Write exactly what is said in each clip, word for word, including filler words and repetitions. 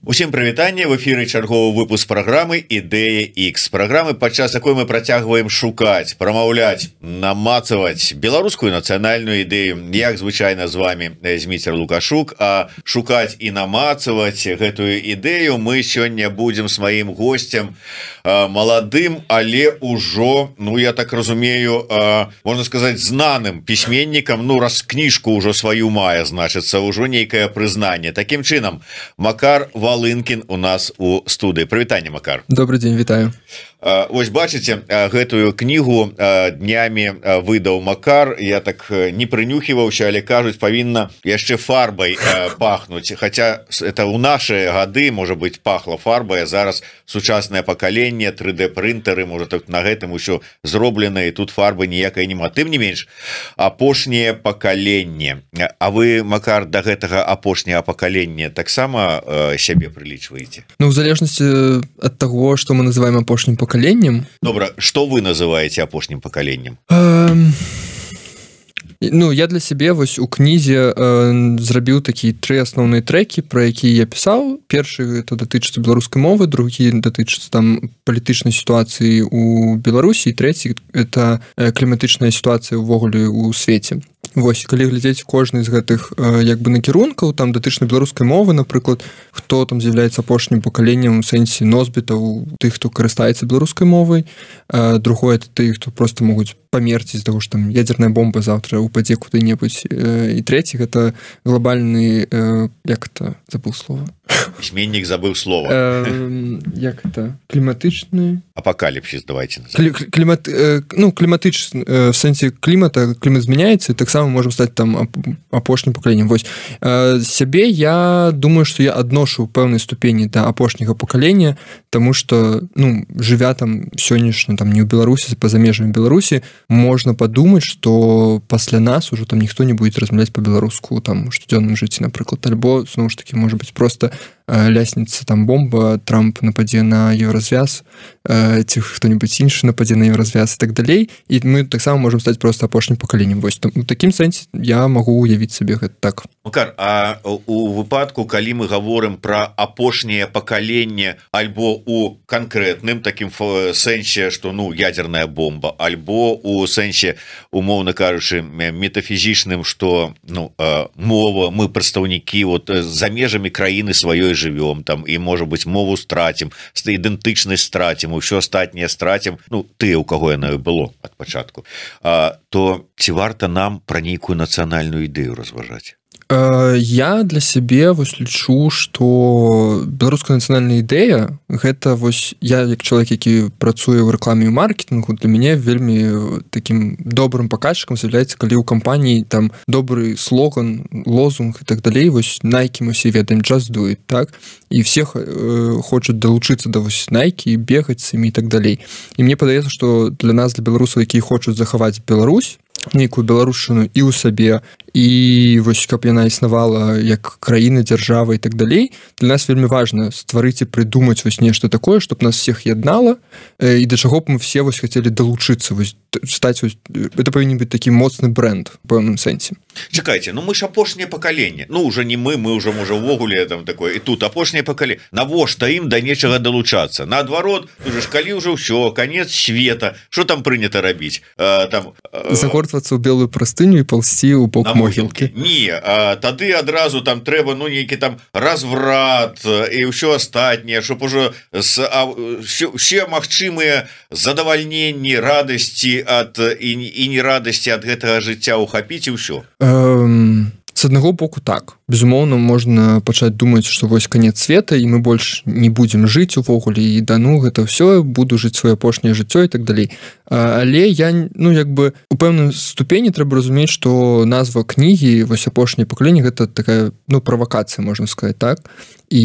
Усім прывітанне, в эфіры чарговы выпуск праграмы Ідэя X, праграмы, падчас якой мы працягваем шукаць, прамаўляць, намацаваць беларускую нацыянальную ідэю. Як звычайна з вами Зміцер Лукашук, а шукаць і намацаваць гэтую ідэю мы сёння будзем з маім госцем, маладым, але ўжо, ну я так разумею, можна сказаць, знаным пісьменнікам, ну раз кніжку ўжо сваю мае, значыцца, ўжо нейкае прызнанне. Такім чынам, Макар Волынкин у нас у студыі. Прывітанне, Макар. Добрый дзень, вітаю. Вось бачыце, гэтую кнігу днямі выдаў Макар. Я так не прынюхіваўся, але кажуць, павінна яшчэ фарбай пахнуць. Хаця это ў нашы гады, можа быць, пахла фарбай, зараз сучаснае пакаленне, тры дэ прынтары, можа так на гэтым усё зроблена, і тут фарбы ніякай няма. Тым не менш, апошняе пакаленне. А вы, Макар, да гэтага апошняга пакалення таксама сябе прылічваеце? Ну, в залежнасці ад таго, што мы называем апошнім пакаленнем. Добра, што вы называеце апошнім пакаленнем? Эм... Ну, я для сябе вось у кнізе э, зрабіў такія тры асноўныя трэкі, пра якія я пісаў. Першы это датычыцца беларускай мовы, другі датычыцца там палітычнай сітуацыі ў Беларусі, і трэці это кліматычная сітуацыя ўвогуле ў свеце. Вось, калі глядзець кожны з гэтых э, як бы накірункаў, там датычна беларускай мовы, напрыклад, хто там з'яўляецца апошнім пакаленнем у сэнсе носьбітаў, тых, хто карыстаецца беларускай мовай, э, другое это тых, хто просто могуць памерці з таго, што там ядзерная бомба заўтра упадзе куды-небудзь, э, і трэці гэта глобальны э, як это забыл слова. Пісьменнік забыў слова. Э, як это кліматычны апакаліпсіс, давайте Клі, клімат э, ну кліматычны э, в сэнсе клімата, клімат змяняецца, і таксама можам стаць там апошнім пакаленнем. Вось э, сябе я думаю, што я адношу ў пэўнай ступені да апошняга пакалення, таму што ну жывя там сённяшня там не ў Беларусі, па-за межамі Беларусі, можна падумаць, што пасля нас ужо там ніхто не будзе размаўляць па-беларуску там у штодзённым жыцці, напрыклад, альбо зноў ж такі можа быць проста лясніца там бомба, Трамп нападзе на еўразвяз, э, ці хто-небудзь іншы нападзе на еўразвяз і так далей, і мы таксама можам стаць проста апошнім пакаленнем. Вось там, у такім сэнсе я магу уявіць сабе гэта так. Макар, а у выпадку, калі мы гаворым пра апошняе пакаленне альбо у канкрэтным такім сэнсе, што ну ядерная бомба, альбо у сэнсе, умоўна кажучы, метафізічным, што ну мова, мы прадстаўнікі вот за межамі краіны сваёй живем там, і можа быць мову страцім, ідэнтычнасць страцім, усё астатняе страцім, ну ты, у каго яна было ад пачатку, а, то ці варта нам пра нейкую нацыянальную ідэю разважаць? Я для сябе вось лічу, што беларуская нацыянальная ідэя гэта вось я як чалавек, які працуе ў рэкламе і маркетынгу, для мяне вельмі такім добрым паказчыкам з'яўляецца, калі ў кампаніі там добры слоган, лозунг і так далей, вось Nike мы все ведаем, just do it, так, і все э, хочуць далучыцца да вось Nike, бегаць з імі і так далей. І мне падаецца, што для нас, для беларусаў, якія хочуць захаваць Беларусь, нейкую беларушчыну і ў сабе, і вось каб яна існавала як краіна, дзяржава і так далей, для нас вельмі важна стварыць і прыдумаць вось нешта такое, чтоб нас всех яднала, і да чаго б мы все вось хацелі далучыцца, вось стаць вось, это павінен быць такі моцны бренд у пэўным сэнсе. Чакайце, ну мы ж апошняе пакаленне, ну уже не мы, мы уже можа ўвогуле там такое, і тут апошняе пакаленне, навошта ім да нечага далучацца? Наадварот, уже ж калі ўжо ўсё, канец света, што там прынята рабіць? А, там а... загортвацца ў белую прастыню і палсці ў бок могілкі. Не, а, тады адразу там трэба ну нейкі там разврат і ўсё астатняе, щоб ужо все магчымыя задавальненні, радасці ад і, і не радасці ад гэтага жыцця ухапіць і ўсё. Эм... С аднаго боку так, безумоўна, можна пачаць думаць, што вось канец света і мы больш не будзем жыць увогуле, і да ну гэта ўсё, буду жыць сваё апошняе жыццё і так далей. Але я, ну як бы у пэўнай ступені трэба разумець, што назва кнігі вось апошняе пакаленне гэта такая ну правакацыя, можна сказаць, так. І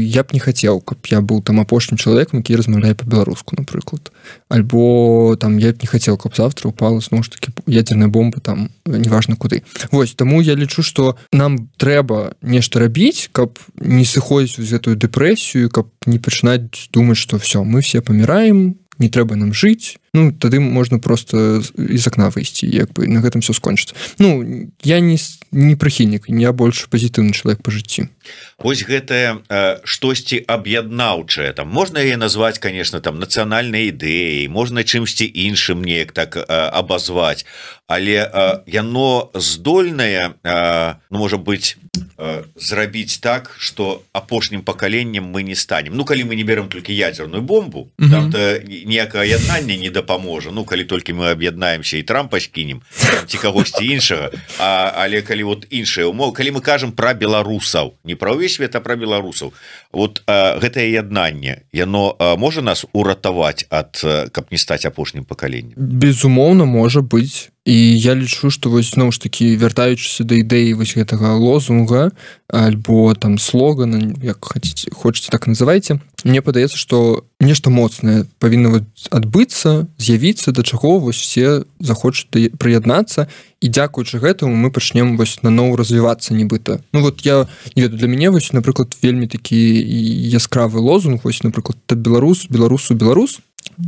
я б не хацеў, каб я быў там апошнім чалавекам, які размаўляе па-беларуску, напрыклад. Альбо там я б не хацеў, каб завтра упала зноў ж такі ядзерная бомба там неважна куды. Вось, таму я лічу, што нам трэба нешта рабіць, каб не сыходзіць з гэтую дэпрэсію, каб не пачынаць думаць, што все, мы все паміраем, не трэба нам жыць, ну тады можна просто из окна выйсці, як бы на гэтым все скончыцца. Ну я не не прыхільнік, я больш пазітыўны чалавек па жыцці. Вось гэтае э, штосьці аб'яднаўчае, там можна яе назваць, конечно, там нацыянальнай ідэяй, можна чымсьці іншым неяк так э, абазваць, але э, яно здольнае, э, ну, можа быць, э, зрабіць так, што апошнім пакаленнем мы не станем. Ну калі мы не берем толькі ядзерную бомбу, mm-hmm. там ніякае яднанне не дапаможа. Ну калі толькі мы аб'яднаемся і Трампа скінем ці кагосьці іншага, а, але калі вот іншыя умовы, калі мы кажам пра беларусаў, не пра ўвесь свет, а пра беларусаў, вот а, гэтае яднанне яно а, можа нас уратаваць ад, каб не стаць апошнім пакаленнем? Безумоўна, можа быць. І я лічу, што вось зноў ж такі, вяртаючыся да ідэі вось гэтага лозунга альбо там слогана, як хаце, хочаце так называйце, мне падаецца, што нешта моцнае павінна адбыцца, з'явіцца, да чаго вось все захочуць прыяднацца, і дзякуючы гэтаму мы пачнем вось наноў развівацца нібыта. Ну вот я не ведаю, для мяне вось, напрыклад, вельмі такі яскравы лозунг, вось, напрыклад, беларус, беларусу, беларус,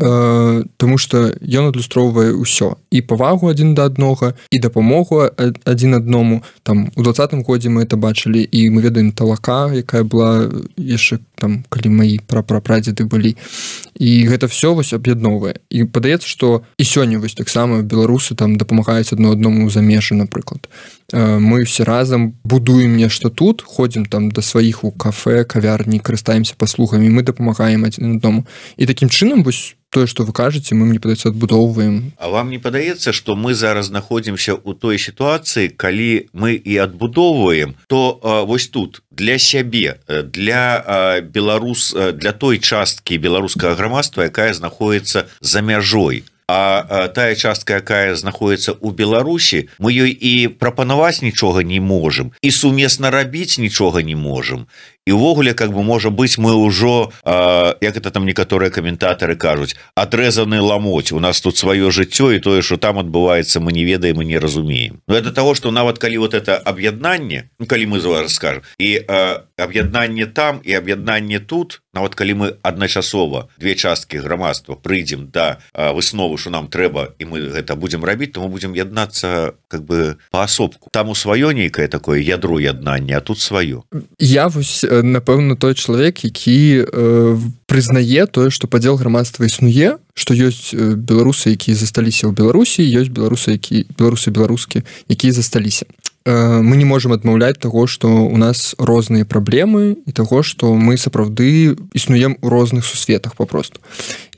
Э, тому што ён адлюстроўвае ўсё, і павагу адзін да аднога, і дапамогу адзін адному. Там у двадцатым годзе мы это бачылі, і мы ведаем Талака, якая была яшчэ там, калі мои прапрапрадзеды былі, і гэта все вось аб'ядноўвае. І падаецца, што і сёння вось таксама беларусы там дапамагаюць адно адному за межы, напрыклад. Э, мы все разам будуем нешта тут, ходзім там да сваіх у кафе, кавярні, карыстаемся паслугамі, мы дапамагаем адзін адному. І такім чынам вось тое, што вы кажаце, мы, мне падаецца, адбудоўваем. А вам не падаецца, што мы зараз знаходзімся ў той сітуацыі, калі мы і адбудоўваем, то а, вось тут для сябе, для а, беларус, для той часткі беларускага грамадства, якая знаходіцца за мяжой, а, а тая частка, якая знаходіцца ў Беларусі, мы ёй і прапанаваць нічога не можам, і сумесна рабіць нічога не можам. І ўвогуле, как бы, можа быць, мы ўжо, э, як это там некаторыя каментатары кажуць, адрэзаны ламоць, у нас тут сваё жыццё, і тое, што там адбываецца, мы не ведаем і не разумеем. Но это того, што нават калі вот это аб'яднанне, ну, калі мы зараз скажем, і э, аб'яднанне там, і аб'яднанне тут, нават калі мы адначасова две часткі грамадства прыйдзем да э, высновы, што нам трэба, і мы гэта будзем рабіць, то мы будзем яднацца, как бы, паасобку. Там у сваё нейкае такое ядро яднання, а тут сваё. Я вось напэўна, той чалавек, які э, прызнае тое, што падзел грамадства існуе, што ёсць беларусы, якія засталіся ў Беларусі, ёсць беларусы, які беларусы беларускі, якія засталіся. Э, мы не можам адмаўляць таго, што у нас розныя праблемы і таго, што мы сапраўды існуем у розных сусветах папросту.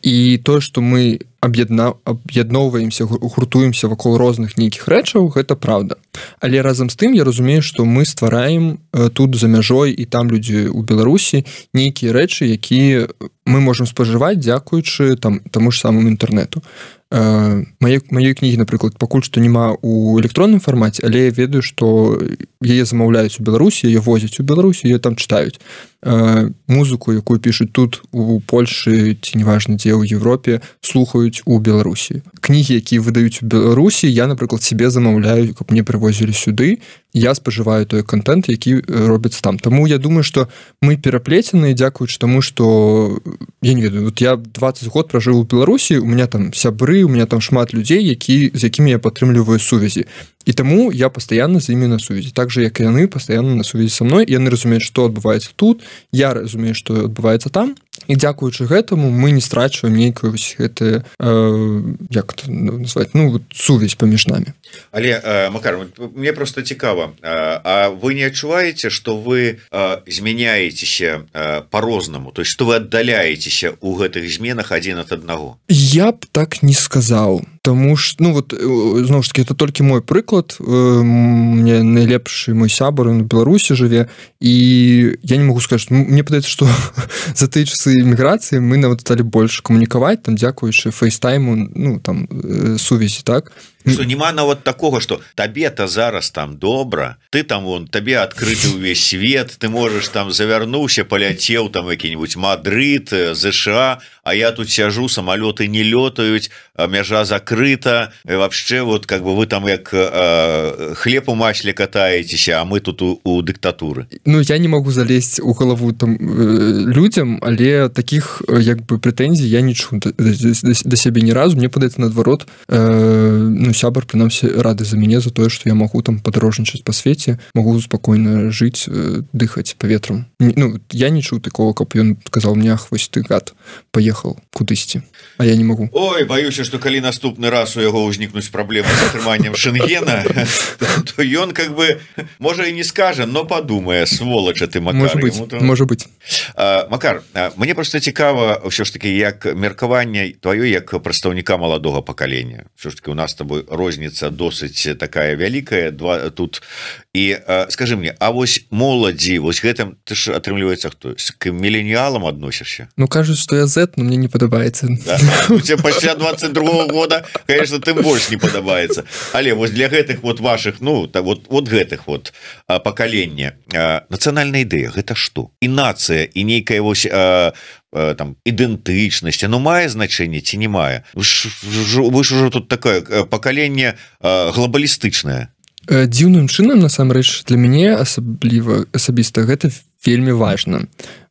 І тое, што мы аб'ядна... аб'ядноўваемся, гуртуемся вакол розных нейкіх рэчаў, гэта праўда. Але разам з тым я разумею, што мы ствараем тут за мяжой і там людзі ў Беларусі нейкія рэчы, якія мы можам спажываць, дзякуючы там таму ж самому інтэрнэту. Мае, маёй кнігі, напрыклад, пакуль што няма ў электронным фармаце, але я ведаю, што яе замаўляюць у Беларусі, яе возяць у Беларусі, яе там чытаюць. Музыку, якую пішуць тут у Польшы ці неважна дзе ў Европе, слухаюць у Беларусі. Кнігі, якія выдаюць у Беларусі, я, напрыклад, себе замаўляю, каб мне прывозілі сюды, я спажываю той контент, які робіцца там. Таму я думаю, што мы пераплецены, дзякуючы таму, што я не ведаю, вот я двадцать год пражыў у Беларусі, у меня там сябры, у меня там шмат людзей, які, з якімі я падтрымліваю сувязі. І таму я пастаянна з імі на сувязі. Так же, як і яны пастаянна на сувязі са мной, яны разумеюць, што адбываецца тут, я разумею, што адбываецца там, і дзякуючы гэтаму мы не страчваем нейкую вось гэтае, э, як это назваць, ну, вот, сувязь паміж намі. Але, э, Макар, мне просто цікава, э, а вы не адчуваеце, што вы э, змяняецеся э, по-рознаму, то есть, што вы аддаляецеся ў гэтых зменах адзін ад аднаго? Я б так не сказаў. Таму ж, ну вот, зноў ж таки, это толькі мой прыклад. Мне найлепшы мой сябар, он у Беларусі жыве, і я не могу сказаць, мне падаецца, што за тыя часы эміграцыі мы нават сталі больш камунікаваць, там, дзякуючы фейстайму, ну, там, сувязі, так? Што няма нават такога, што табе-то зараз там добра, ты там, вон, табе адкрыты ўвесь свет, ты можаш там завярнуўся, паляцеў там які-нибудь Мадрид, ЗША, а я тут сяжу, самолеты не летают, мяжа закрыта, и вообще вот как бы вы там як э, хлеб у масле катаетесь, а мы тут у, у диктатуры. Ну я не могу залезть у голову там э, людям, але таких як бы прэтэнзій я не чу да, да, да сябе ні разу. Мне падаецца наадварот, э, ну сябар прынамсі рады за мяне за тое, што я магу там падарожнічаць па свеце, магу спакойна жыць, э, дыхаць паветрам. Ну я не чуў такого, каб ён сказаў мне: ах, вось ты гад, паехал кудысьці, а я не магу. Ой, баюся, што калі наступны раз у яго ўзнікнуць праблемы з атрыманнем шэнгена, то ён как бы можа і не скажа, но падумае: сволача ты, Макар. Можа быць, можа быць. Макар, мне просто цікава ўсё ж таки як меркаванне твоё як прадстаўніка маладога пакалення. Ўсё ж таки у нас с тобой розніца досыць такая вялікая, два тут. І скажи мне, а вось моладзі, вось гэтым ты ж атрымліваецца хто? К міленіалам адносішся? Ну кажуць, што я Z, но мне не падабаецца. Да? Тебе пасля двадцать другого года, конечно, тым больш не падабаецца. Але вось для гэтых вот ваших, ну так вот вот гэтых вот пакалення, нацыянальная ідэя гэта што? І нацыя, і нейкая вось а, а, там ідэнтычнасць, ну мае значэнне ці не мае? Вы ж, вы ж ужо тут такое пакаленне глобалістычнае. Дзіўным чынам, насамрэч, для мяне асабліва асабіста гэта вельмі важна.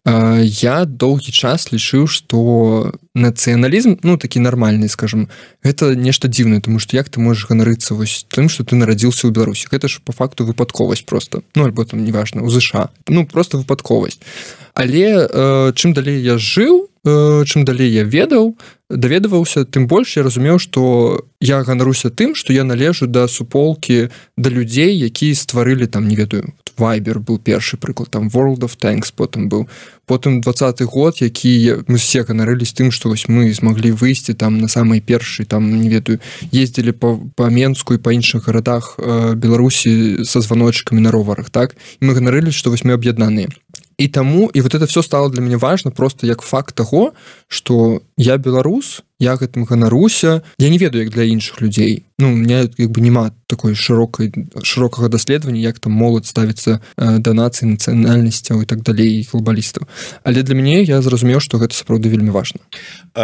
Я доўгі час лічыў, што нацыяналізм, ну такі нармальны, скажем, гэта нешта дзіўнае, тому што як ты можаш ганарыцца вось тым, што ты нарадзіўся ў Беларусі? Гэта ж па факту выпадковасць просто. Ну альбо там неважна, у ЗША. Ну просто выпадковасць. Але э, чым далей я жыў, э, чым далей я ведаў, даведаваўся, тым больш я разумеў, што я ганаруся тым, што я належу да суполкі, да людзей, якія стварылі там, не ведаю, Viber быў першы прыклад, там World of Tanks потым быў, потым двадцаты год, які мы все ганарылись тым, што вось мы змаглі выйсці там на самай першай, там, не ведаю, ездзілі па, па Менску і па іншых гарадах э, Беларусі са званочкамі на роварах, так? І мы ганарылись, што вось мы аб'яднаныя. І таму, і вот это все стало для мяне важно просто як факт таго, што я беларус, я гэтым ганаруся, я не ведаю, як для іншых людзей. Ну, у меня як бы няма такой шырокай шырокага даследавання, як там моладзь ставіцца э, да нацыі, нацыянальнасцяў і так далей, і глобалістаў. Але для мяне я зразумеў, што гэта сапраўды вельмі важна.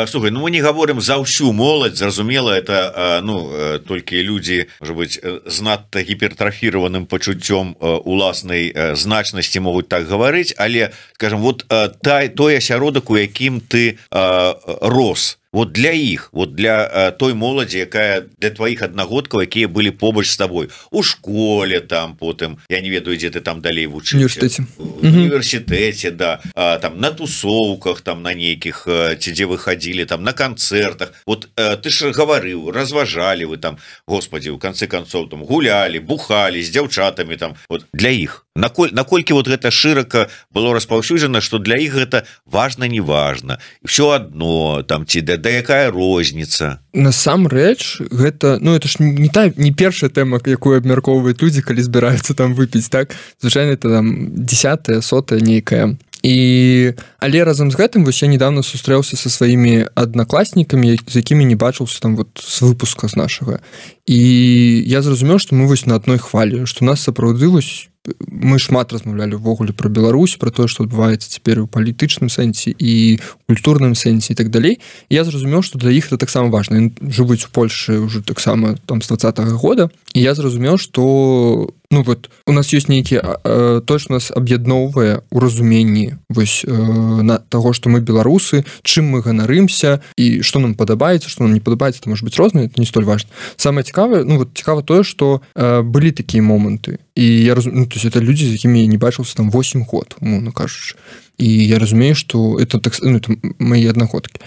Слухай, ну мы не гаворым за ўсю моладзь, зразумела, это ну толькі людзі, можа быць, з надта гіпертрафіраваным пачуццём уласнай значнасці могуць так гаварыць, але, скажем, вот та, той асяродак, у якім ты а, рос, вот для іх, вот для а, той моладзі, якая для тваіх аднагодкаў, якія былі побач з табой у школе, там потым, я не ведаю, дзе ты там далей вучыўся, універсітэце, в універсітэце, да, а, там на тусоўках, там на нейкіх, ці дзе вы хадзілі, там на канцэртах, вот а, ты ж гаварыў, разважалі вы там, господи, у канцы канцоў там гулялі, бухалі з дзяўчатамі там, вот для іх. Наколь, наколькі вот гэта шырока было распаўсюджана, што для іх гэта важна, не важна, все адно там ці да, да якая розніца. Насамрэч гэта, ну это ж не та не першая тэма, якую абмяркоўваюць людзі, калі збіраюцца там выпіць, так? Звычайна это там десятая, сотая нейкая. І але разам з гэтым вось я недавно сустрэўся са сваімі аднакласнікамі, з якімі не бачыўся там вот з выпуска з нашага. І я зразумеў, што мы вось на адной хвалі, што нас сапраўды вось мы шмат размаўлялі ўвогуле пра Беларусь, пра тое, што адбываецца цяпер у палітычным сэнсе і культурным сэнсе і так далей. І я зразумеў, што для іх это таксама важна. Яны жывуць у Польшы ўжо таксама там з двадцатага года. І я зразумеў, што ну вот у нас ёсць нейкі э, то, што нас аб'ядноўвае ў разуменні вось э, на таго, што мы беларусы, чым мы ганарымся і што нам падабаецца, што нам не падабаецца, это можа быць рознае, это не столь важна. Самае цікавае, ну вот цікава тое, што э, былі такія моманты. І я разумею, ну, то есть это людзі, з якімі я не бачыўся там восемь год, умоўна кажучы. І я разумею, што это так, ну, это мои аднагодкі.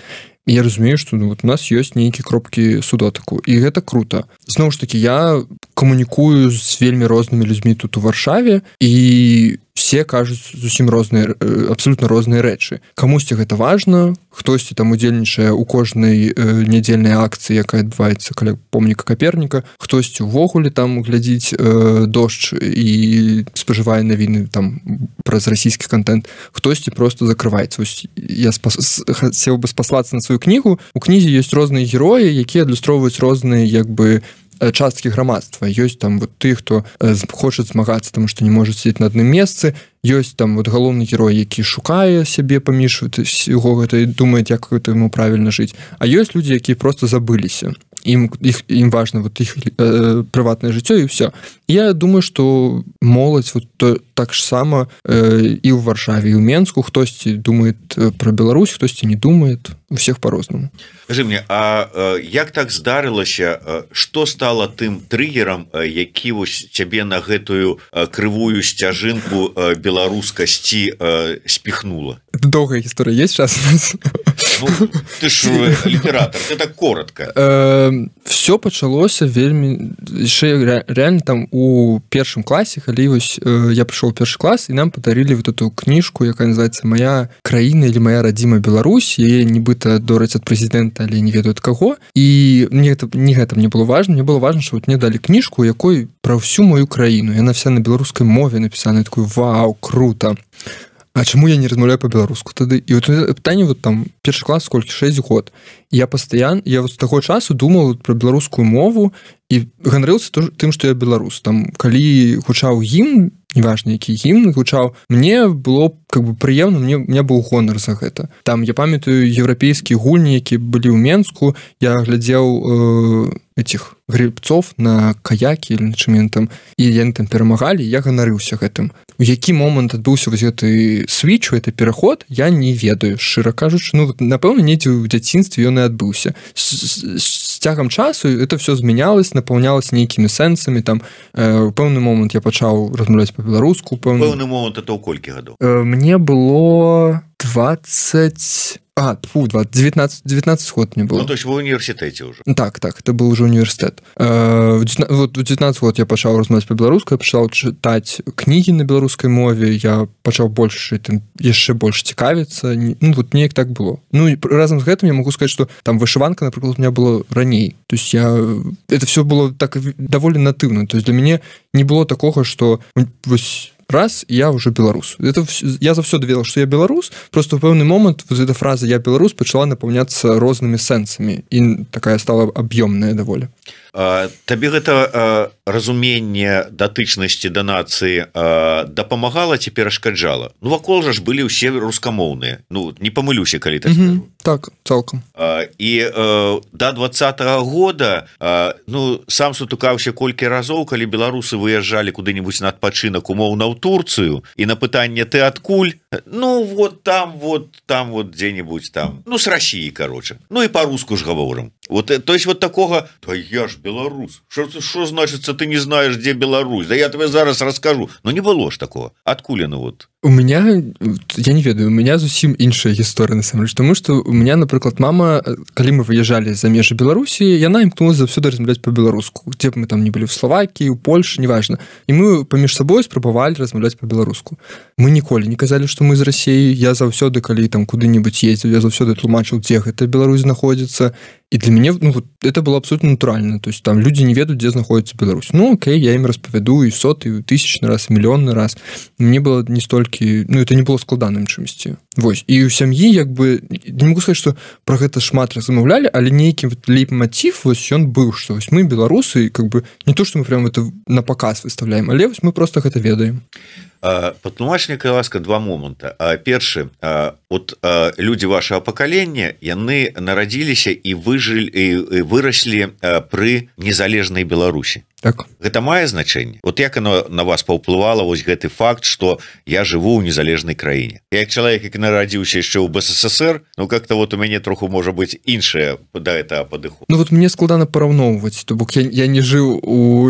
І я разумею, што ну, вот у нас ёсць нейкі кропкі судотыку, і гэта круто. Зноў ж такі, я камунікую з вельмі рознымі людзьмі тут у Варшаве, і все кажуць зусім розныя, абсолютно розныя рэчы. Камусьці гэта важна, хтосьці там удзельнічае ў кожнай э, нядзельнай акцыі, якая адбываецца каля помніка Каперніка, хтосьці ўвогуле там глядзіць э, дождж і спажывае навіны там праз расійскі контент, хтосьці просто закрываецца. Вось я спас... хацеў бы спаслацца на сваю кнігу. У кнізе ёсць розныя героі, якія адлюстроўваюць розныя як бы часткі грамадства, ёсць там вот ты, хто хоча змагацца, таму што не можа сидзець на адным месцы, ёсць там вот галоўны герой, які шукае сябе паміж яго гэта і думае, як гэта яму правільна жыць, а ёсць людзі, якія просто забыліся, ім іх ім важна вот іх э, прыватнае жыццё і ўсё. Я думаю, што моладзь вот то, так ж сама э, і ў Варшаве, і ў Менску хтосьці думае пра Беларусь, хтосьці не думае, у всех по-рознаму. Скажи мне, а э, як так здарылася, э, што стала тым трыгерам, э, які вось цябе на гэтую э, крывую сцяжынку э, беларускасці э, спіхнула? Доўгая гісторыя есть час? Ну, ты ж літаратар, ты так коротко. Э, все пачалося вельмі яшчэ реально там у першым класе, калі вось э, я прыйшоў у першы клас, і нам подарили вот эту кніжку, якая называется «Моя краіна» или «Моя радзіма Беларусь». Яе нібыта дораць ад прэзідэнта, але не ведаю ад каго. І мне гэта, не гэта мне было важно. Мне было важно, што вот мне далі кніжку, якой пра всю мою краіну. Яна вся на беларускай мове напісана. Я такой, вау, круто. А чаму я не размаўляю по-беларуску тады? І вот пытанне вот там першы клас сколькі шэсць год. І я пастаянна, я вот з таго часу думаў пра беларускую мову і ганарыўся тым, што я беларус. Там калі гучаў гімн, неважна які гімн гучаў, мне было как бы прыемна, мне у меня быў гонар за гэта. Там я памятаю еўрапейскія гульні, які былі ў Менску, я глядзеў э, этих гребцов на каякі или на чым яны там, і яны там перамагалі, я ганарыўся гэтым. У які момант адбыўся вось гэты свіч, гэты пераход, я не ведаю, шчыра кажучы. Ну, напэўна, недзе ў дзяцінстве ён і адбыўся. З, з цягам часу это все змянялось, напаўнялось нейкімі сэнсамі. Там э, у пэўны момант я пачаў размаўляць па-беларуску. Пэўны... пэўны момант это ў колькі гадоў? Э, мне было двадцать... А, фу, девятнадцать, девятнадцать год мне было. Ну, то есть в университете уже. Так, так, это был уже университет. Э, вот в девятнадцать год я пачаў размаўляць па-беларуску, я пачаў чытаць кнігі на беларускай мове, я пачаў больш там яшчэ больш цікавіцца. Ну, вот неяк так было. Ну, и разом з гэтым я могу сказать, что там вышиванка, например, у меня была раней. То есть я... Это все было так довольно натыўна. То есть для мяне не было такого, что вось раз, я уже беларус. Это я заўсёды ведаў, што я беларус, просто ў пэўны момант вот эта фраза «я беларус» пачала напаўняцца рознымі сэнсамі, і такая стала аб'ёмная даволі. Табе гэта разуменне датычнасці да нацыі дапамагала ці перашкаджала? Ну, вакол жа ж былі ўсе рускамоўныя. Ну, не памылюся, калі так скажу. Так, цалкам. І да двадцатага года, ну, сам сутыкаўся колькі разоў, калі беларусы выязджалі куды-нибудь на адпачынак умоўна ў Турцыю, і на пытанне «ты адкуль?» Ну, вот там, вот там, вот где-нибудь там. Ну, с России, короче. Ну, и по-русски ж говорим. Вот, то есть вот такого, да я ж белорус. Что значит, ты не знаешь, где Беларусь? Да я тебе зараз расскажу. Но не было ж такого. Откуда ну вот? У меня, я не ведаю, у меня зусім іншая гісторыя, насамрэч, тому што у меня, напрыклад, мама, калі мы выязджалі за межы Беларусі, яна імкнулася заўсёды размаўляць па-беларуску. Дзе б мы там не былі, в Словакіі, у Польшы, неважна. І мы паміж сабой спрабавалі размаўляць па-беларуску. Мы ніколі не казалі, што мы з Расіі. Я заўсёды, калі там куды-нибудь ездзіў, я заўсёды тлумачыў, дзе гэта Беларусь знаходзіцца. И для меня ну, вот, это было абсолютно натурально. То есть там люди не ведают, где находится Беларусь. Ну, окей, я им распавяду и сотый, и тысячный раз, и миллионный раз. Мне было не столько... Ну, это не было складаным чымсьці. Вось. И у сям'і, як бы... Не могу сказать, что про гэта шмат размаўлялі, але нейкі вот лейтмотив, вось ён быў, что вось мы беларусы, как бы не то, что мы прям это на показ выставляем, але вось мы просто гэта ведаем. Патлумач мне, калі ласка, два моманта. Першы, от людзі вашага пакалення, яны нарадзіліся і выжылі і выраслі пры незалежнай Беларусі. Так. Гэта мае значэнне. Вот як оно на вас паўплывала вось гэты факт, што я жыву ў незалежнай краіне. Як чалавек, які нарадзіўся яшчэ ў БССР, ну как-то вот у мяне троху можа быць іншае да гэтага падыход. Ну вот мне складана параўноўваць, то бок я, я не жыў у,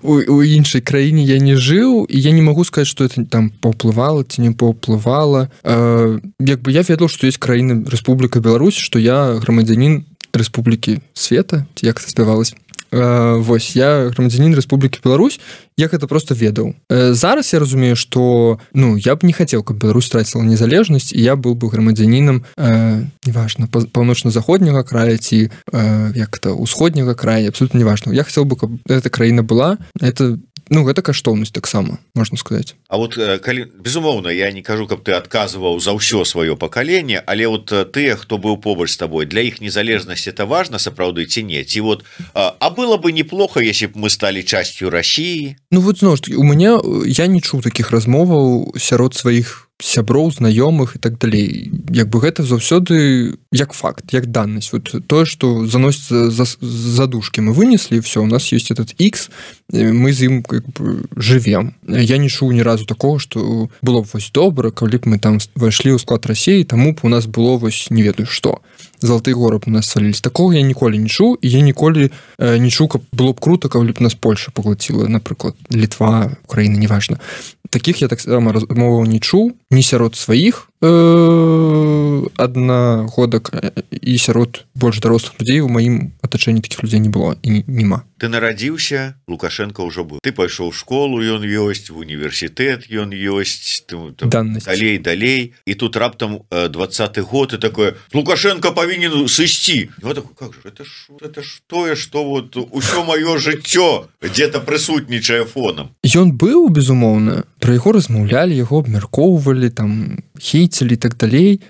у, у іншай краіне, я не жыў, і я не магу сказаць, што это там паўплывала ці не паўплывала. Э, як бы я ведаў, што ёсць краіна Рэспубліка Беларусь, што я грамадзянін Рэспублікі Света, ці як спявалась. Э, вось, я грамадзянін Рэспублікі Беларусь, я гэта просто ведаў. Э, зараз я разумею, што ну, я б не хацеў, каб Беларусь страціла незалежнасць, і я быў бы грамадзянінам э, неважна, паўночна-заходняга края ці э, як это, усходняга края, абсолютно неважна. Я хацеў бы, каб эта краіна была. Это ну гэта каштоўнасць таксама можна сказаць. А вот калі безумоўна я не кажу каб ты адказваў за ўсё сваё пакаленне, але вот тыя хто быў побач з табой, для іх незалежнасць это важна сапраўды ці не, ці вот а было бы неплохо если б мы сталі часцю России. Ну вот зноў ж таки у мяне я не чуў таких размоваў сярод сваіх сяброў, знаёмых і так далей. Як бы гэта заўсёды як факт, як даннасць. Вот тое, што заносіцца за задушкі мы вынеслі, все, у нас есть этот X, мы з ім как бы жывем. Я не чуў ні разу такого, што было б вось добра, калі б мы там вайшлі ў склад Расіі, таму б у нас было вось не ведаю што. Залаты горы б у нас свалілись. Такого я ніколі не чуў, і я ніколі э, не чуў, каб было б круто, калі б нас Польша паглаціла, напрыклад, Літва, Украіна, неважна. Таких я так само размоваў не чуў, ні сярод сваіх э, аднагодак і сярод больш дарослых людзей у маім атачэнні такіх людзей не было і няма. Ты нарадзіўся, Лукашенко ўжо быў. Ты пайшоў у школу, ён ёсць, в універсітэт ён ёсць, далей, далей. І тут раптам двадцаты год і такое, Лукашенко павінен сысці. Вот такой, как же, это ж, это ж тое, што вот усё маё жыццё дзе-то прысутнічае фонам. Ён быў, безумоўна, пра яго размаўлялі, яго абмяркоўвалі, там, хейцілі і так далей.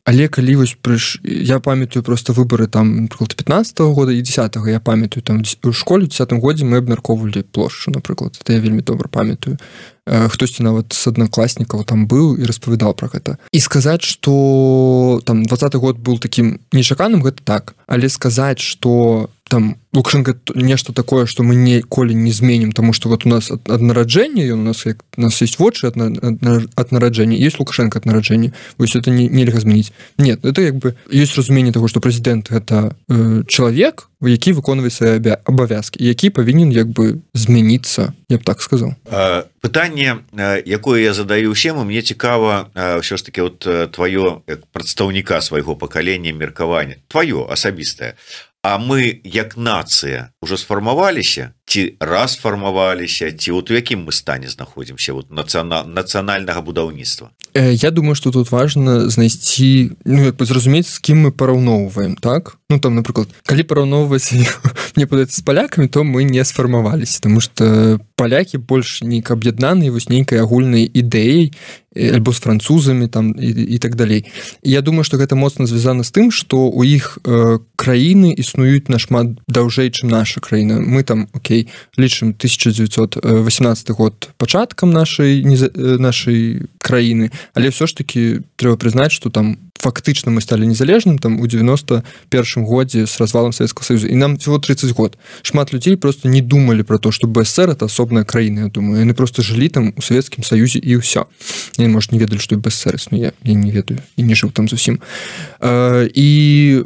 Але калі вось прыш... я памятаю просто выборы там пятнадцатого года і десятого я памятаю там у школе у десятым годзе мы абмяркоўвалі плошчу, напрыклад, это я вельмі добра памятаю. Хтосьці нават з аднакласнікаў там быў і распавядаў пра гэта. І сказаць, што там двадцаты год быў такім нечаканым, гэта так, але сказаць, што там Лукашенко нешта такое, што мы ніколі не зменім, таму што вот у нас ад нараджэння, ён у нас як у нас есть вочы ад нараджэння, есть Лукашенко ад нараджэння. Вось это не нельга змяніць. Нет, это як бы ёсць разуменне таго, што прэзідэнт гэта э, чалавек, які выконвае свае абавязкі, які павінен як бы змяніцца, я б так сказаў. Пытанне, якое я задаю ўсім, мне цікава ўсё ж таки вот тваё як прадстаўніка свайго пакалення меркавання, тваё асабістае. А мы як нацыя уже сфармаваліся ці расфармаваліся, ці вот у якім мы стане знаходзімся вот нацыянал, нацыянальнага будаўніцтва? Я думаю, што тут важна знайсці, ну як бы зразумець, з кім мы параўноўваем, так? Ну там, напрыклад, калі параўноўваць мне падаецца з палякамі, то мы не сфармаваліся, таму што палякі больш нейк аб'яднаныя вось нейкай агульнай ідэяй альбо з французамі там і, і так далей. І я думаю, што гэта моцна звязана з тым, што у іх э, краіны існуюць нашмат даўжэй, чым наша краіна. Мы там, окей, лічым тысяча дзевяцьсот восемнадцаты год пачаткам нашай, нашай краіны, але ўсё ж таки трэба прызнаць, што там фактычна мы сталі незалежным там у девяносто первом годзе с развалом Советского Союза, і нам всего тридцать год. Шмат людзей просто не думали про то, что БССР это асобная краіна, я думаю. Яны просто жылі там у Советскім Союзе і ўсё. Яны, может, не ведалі, што БССР існуе. Я не ведаю і не жыў там зусім. І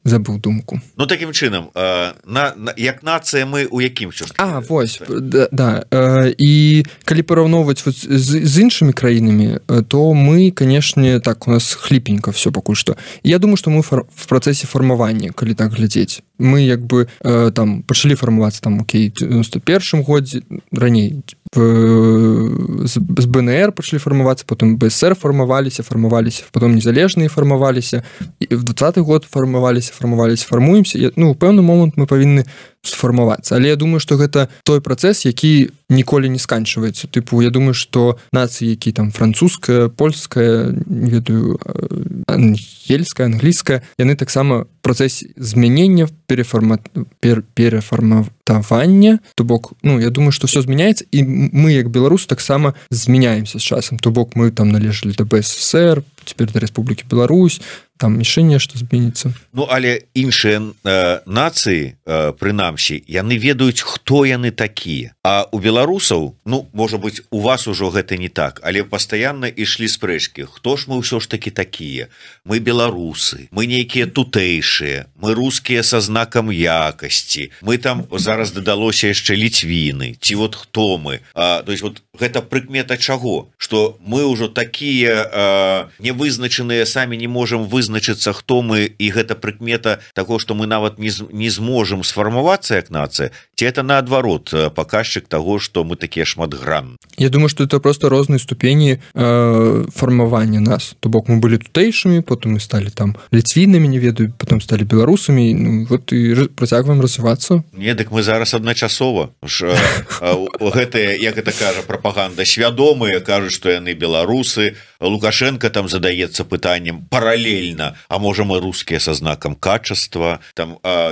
забыл думку. Ну таким чынам э, на, на як нацыя мы у якім часу? А вось да, да. Э, і калі параўноўваць вот з, з іншымі краінамі, то мы, канешне, так у нас хліпенька все пакуль што. Я думаю, што мы фар, в працэсе фармавання, калі так глядзець. Мы як бы э, там пачалі фармавацца там окей, девяносто первом годзе, раней в, з, з БНР пачалі фармавацца, потом БССР фармаваліся, фармаваліся, потом незалежныя фармаваліся, і в двадцаты год фармаваліся, фармаваліся, фармуемся. Ну, у пэўны момант мы павінны сфармавацца. Але я думаю, што гэта той працэс, які ніколі не сканчваецца. Тыпу, я думаю, што нацыі, які там французская, польская, не ведаю, ангельская, англійская, яны таксама працэс змянення, переформа... пер... перафарматавання, то бок, ну, я думаю, што ўсё змяняецца, і мы, як беларусы, таксама змяняемся з часам. То бок, мы там належалі да БССР, цяпер да Рэспублікі Беларусь, там яшчэ нешта зменіцца. Ну, але іншыя э, нацыі, э, прынамсі, яны ведаюць, хто яны такія. А у беларусаў, ну, можа быць, у вас ужо гэта не так, але пастаянна ішлі спрэчкі. Хто ж мы ўсё ж такі такія? Мы беларусы, мы нейкія тутэйшыя, мы рускія са знакам якасці, мы там зараз дадалося яшчэ ліцвіны, ці вот хто мы? А, то есть вот гэта прыкмета чаго, что мы ўжо такія э, невызначаныя, самі не можем вызначыцца, хто мы, і гэта прыкмета таго, што мы нават не, не зможам сфармавацца як нацыя, ці это наадварот паказчык таго, што мы такія шматгранныя? Я думаю, что это просто розныя ступені э, фармавання нас. То бок мы былі тутэйшымі, потым мы сталі там ліцвінамі, не ведаю, потом сталі беларусамі, ну, вот і працягваем развівацца. Не, дык мы зараз адначасова. Ж, гэтыя, як гэта кажа прапаганда, свядомыя кажуць, што яны беларусы. Лукашенко там задаецца пытаннем паралельна, а можа мы рускія са знакам качества. Там а,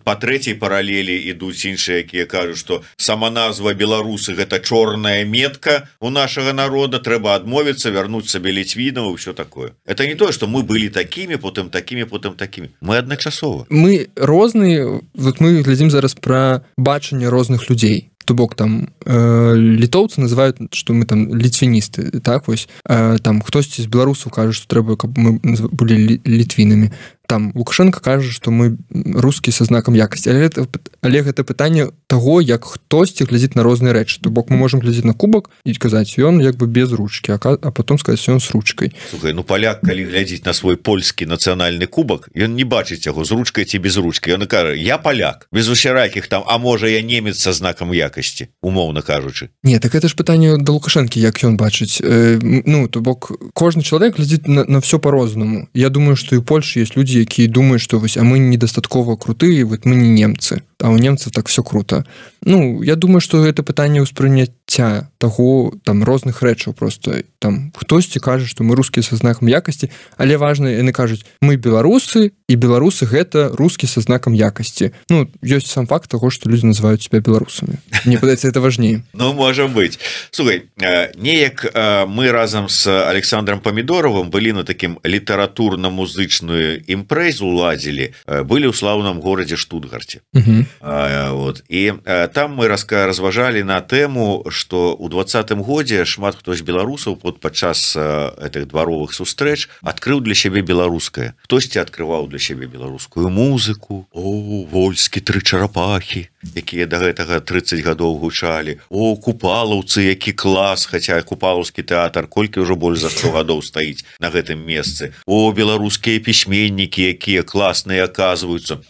па трэцяй паралелі ідуць іншыя, якія кажуць, што сама назва беларусы гэта чорная метка у нашага народа, трэба адмовіцца, вярнуць сабе ліцвінаў, ўсё такое. Это не тое, што мы былі такімі, потым такімі, потым такімі. Мы адначасова. Мы розныя, вот мы глядзім зараз пра бачанне розных людзей. То бок там э, літоўцы называюць, што мы там ліцвіністы, так вось э, там хтосьці з беларусаў кажа, што трэба, каб мы былі літвінамі. Там Лукашенко кажа, што мы русскія са знакам якасці, але гэта, але гэта пытанне таго, як хтосьці глядзіць на розныя рэчы. То бок мы можам глядзець на кубак і казаць, ён як бы без ручкі, а, а потом сказаць, ён з ручкай. Слухай, ну паляк, калі глядзіць на свой польскі нацыянальны кубак, ён не бачыць яго з ручкай ці без ручкі. Ён кажа, я паляк, без усяракіх там, а можа я немец са знакам якасці, умоўна кажучы. Не, так это ж пытанне да Лукашэнкі, як ён бачыць. Э, ну, то бок кожны чалавек глядзіць на, на все по-рознаму. Я думаю, што і ў Польшы ёсць людзі, якія думаюць, што вось, а мы недастаткова крутыя, вот мы не немцы, а у немцаў так все круто. Ну, я думаю, што гэта пытанне ўспрыняцця таго там розных рэчаў просто. Там хтосьці кажа, што мы рускія са знакам якасці, але важна, яны кажуць, мы беларусы, і беларусы гэта рускі са знакам якасці. Ну, ёсць сам факт таго, што людзі называюць себя беларусамі. Мне падаецца, это важней. Ну, можа быць. Слухай, неяк мы разам з Александром Памідоровым былі на такім літаратурна-музычную імпрэзу ладзілі, былі ў слаўным горадзе Штутгарце. Угу. А, вот. І а, там мы раска разважалі на тэму, што ў двадцатым годзе шмат хто з беларусаў под падчас гэтых дваровых сустрэч адкрыў для сябе беларускае. Хтосьці адкрываў для сябе беларускую музыку. О, вольскі тры чарапахі, якія да гэтага трыццаць гадоў гучалі. О, купалаўцы, які клас, хаця купалаўскі тэатр колькі ўжо больш за сто гадоў стаіць на гэтым месцы. О, беларускія пісьменнікі, якія класныя аказваюцца.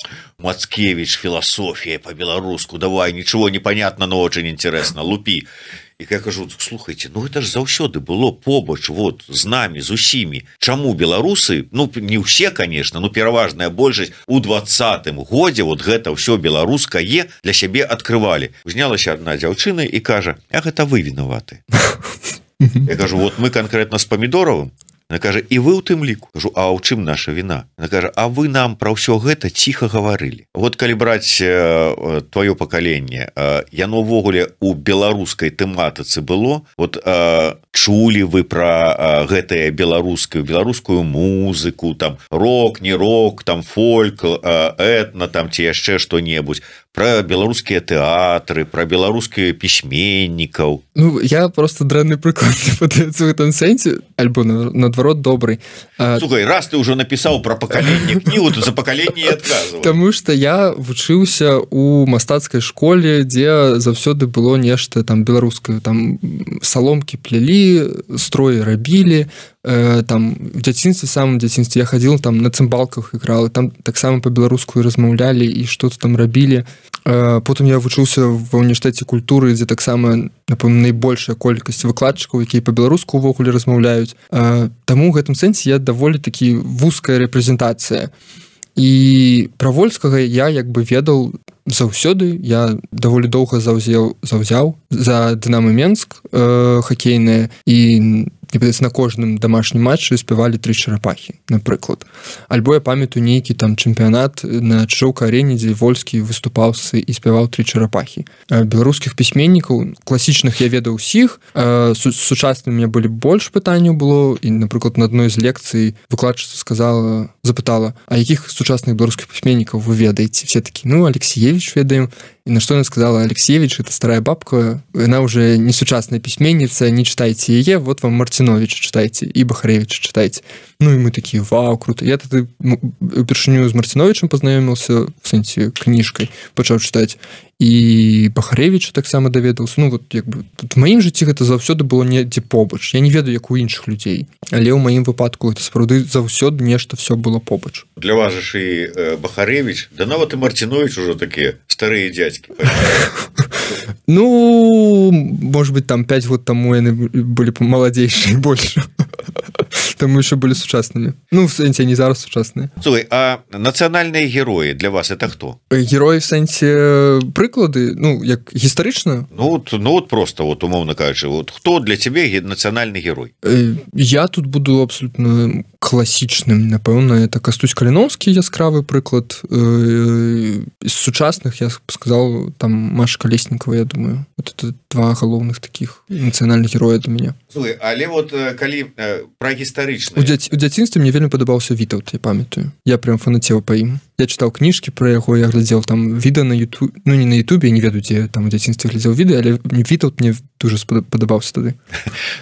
Мацкевич, философия по-белоруску, давай, ничего не понятно, но очень интересно, лупи. И я кажу, слухайте, ну это ж заўсёды было побач, вот, з намі, з усімі. Чаму беларусы, ну не ўсе, конечно, но пераважная большасць у двадцатым годзе вот гэта ўсё беларускае для сябе адкрывалі. Узнялася одна дзяўчына і кажа, а гэта вы вінаваты. Я кажу, вот мы конкретно с Памідоровым. Она кажа, і вы ў тым ліку. Кажу, а ў чым наша віна? Она кажа, а вы нам пра ўсё гэта ціха гаварылі. Вот калі браць э, твоё пакаленне, э, яно ўвогуле у беларускай тэматыцы было, вот э, чулі вы пра э, гэтае беларускую, беларускую музыку, там рок, не рок, там фольк, э, этна, там ці яшчэ што-небудзь, пра беларускія тэатры, пра беларускія пісьменнікаў. Ну, я просто дрэнны прыклад не падаецца ў гэтым сэнсе, альбо наадварот добрый. Слухай, раз ты ўжо напісаў пра пакаленне кнігу, то за пакаленне і адказваў. Таму што я вучыўся ў мастацкай школе, дзе заўсёды было нешта там беларускае, там саломкі плялі, строі рабілі, э, там в дзяцінстве, самым дзяцінстве я хадзіл там на цымбалках іграл, там таксама па-беларуску размаўлялі і што-то там рабілі. Э, потым я вучыўся ва універсітэце культуры, дзе таксама, напэўна, найбольшая колькасць выкладчыкаў, якія па-беларуску ўвогуле размаўляюць. Э, таму ў гэтым сэнсе я даволі такі вузкая рэпрэзентацыя. І пра вольскага я як бы ведаў заўсёды, я даволі доўга заўзеў, заўзяў за Дынамо Менск э, хакейнае, і мне падаецца, на кожным дамашнім матчы спявалі тры чарапахі, напрыклад. Альбо я памятаю нейкі там чэмпіянат на Чжоўка-арэне, дзе вольскі выступаў і спяваў тры чарапахі. Беларускіх пісьменнікаў класічных я ведаў усіх, сучасным у меня былі больш пытанняў было, і, напрыклад, на адной з лекцый выкладчыца сказала, запытала, а якіх сучасных беларускіх пісьменнікаў вы ведаеце? Все такі, ну, Алексеевич ведаем. И на что она сказала, Алексеевич, это старая бабка, она уже не сучасная письменница, не читайте ее, вот вам Мартиновича читайте, и Бахаревича читайте. Ну и мы такие, вау, круто. Я тогда упершыню з Мартиновичем познайомился, в сэнсе, книжкой, пачаў читать. і Бахарэвіча таксама даведаўся. Ну вот як бы в маім жыцці гэта заўсёды было недзе побач. Я не ведаю, як у іншых людзей, але ў маім выпадку это сапраўды заўсёды нешта все было побач. Для вас же і Бахарэвіч, да нават і Марцінович ужо такія старыя дзядзькі. Ну, может быть, там пять год тому яны былі маладзейшыя больш. Таму яшчэ былі сучаснымі. Ну, в сэнсе не зараз сучасныя. Слухай, а нацыянальныя героі для вас это хто? Героі в сэнсе прыклады, ну, як гістарычна? Ну, вот, ну, вот просто, вот, умоўна кажучы, вот хто для цябе нацыянальны герой? Я тут буду абсолютно класічным, напэўна, это Кастусь Каліноўскі, яскравы прыклад. З сучасных, я сказал, там Маша Колесникова, я думаю. Вот это два галоўных таких нацыянальных героя для мяне. Слухай, але вот калі пра гістарычныя... У, дзя... у дзяцінстве мне вельмі падабаўся Вітаўт, я памятаю. Я прям фанацеў па ім. Я чытаў кніжкі пра яго, я глядзеў там відэа на YouTube, ну не на YouTube, я не ведаю, дзе там у дзяцінстве глядзеў відэа, але Вітаўт мне дуже падабаўся тады.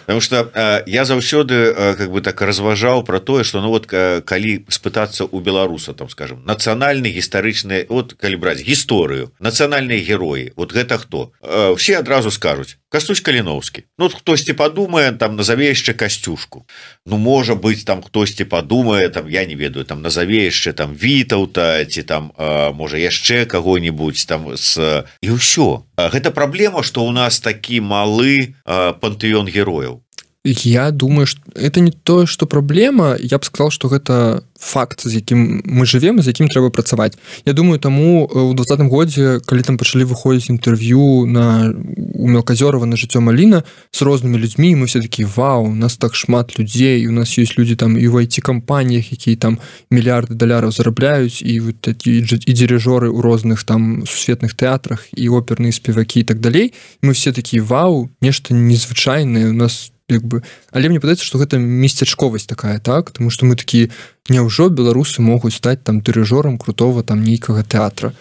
Потому что э, я заўсёды э, как бы так разважаў про тое, что ну вот э, калі спытацца у беларуса, там скажем, нацыянальны гістарычны, вот калі браць гісторыю, нацыянальныя героі, вот гэта хто? Э, все адразу скажуць Кастусь Каліноўскі. Ну хтосьці падумае, там назаве яшчэ Касцюшку. Ну можа быць там хтосьці падумае, там я не ведаю, там назаве яшчэ там Вітаўта ці там э, можа яшчэ каго-нибудь там з... і ўсё. Гэта праблема, што ў нас такі малы э, пантэон герояў. Я думаю, что это не то, что проблема. Я бы сказал, что это факт, з якім мы живем и з якім трэба працаваць. Я думаю, таму у двадцатым годзе, калі там пачалі выходзіць інтэрв'ю на у Мелказёрова на жыццё Маліна з рознымі людзьмі, мы все такі вау, у нас так шмат людзей, у нас ёсць людзі там і ў ай ти-кампаніях, якія там мільярды даляраў зарабляюць, і вот такі і дирижёры ў розных там сусветных тэатрах, і оперныя спевакі і так далей. Мы все такі вау, нешта незвычайнае у нас як бы, але мне падаецца, што гэта месцячковасць такая, так? Таму што мы такі, няўжо беларусы могуць стаць там дырыжорам крутого там нейкага тэатра.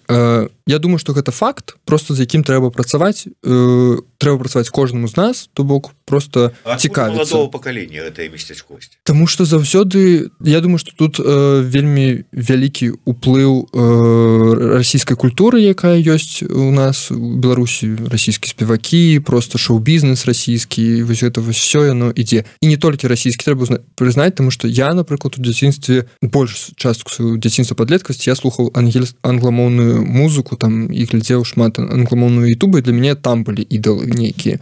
Э, я думаю, што гэта факт, просто з якім трэба працаваць, э, трэба працаваць кожнаму з нас, то бок просто цікавіцца. Маладого пакалення гэтая месцячковасць. Таму што заўсёды, я думаю, што тут э, вельмі вялікі ўплыў э, расійскай культуры, якая ёсць у нас у Беларусі, расійскія спевакі, просто шоу-бізнес расійскі, вось гэта вось всё яно ідзе. І не толькі расійскі, трэба прызнаць, таму што я, напрыклад, у дзяцінстве больш частку сваю дзяцінства падлеткасці я слухаў ангель... англамоўную музыку там і глядзеў шмат англамоўную ютубы, для мяне там былі ідалы нейкія.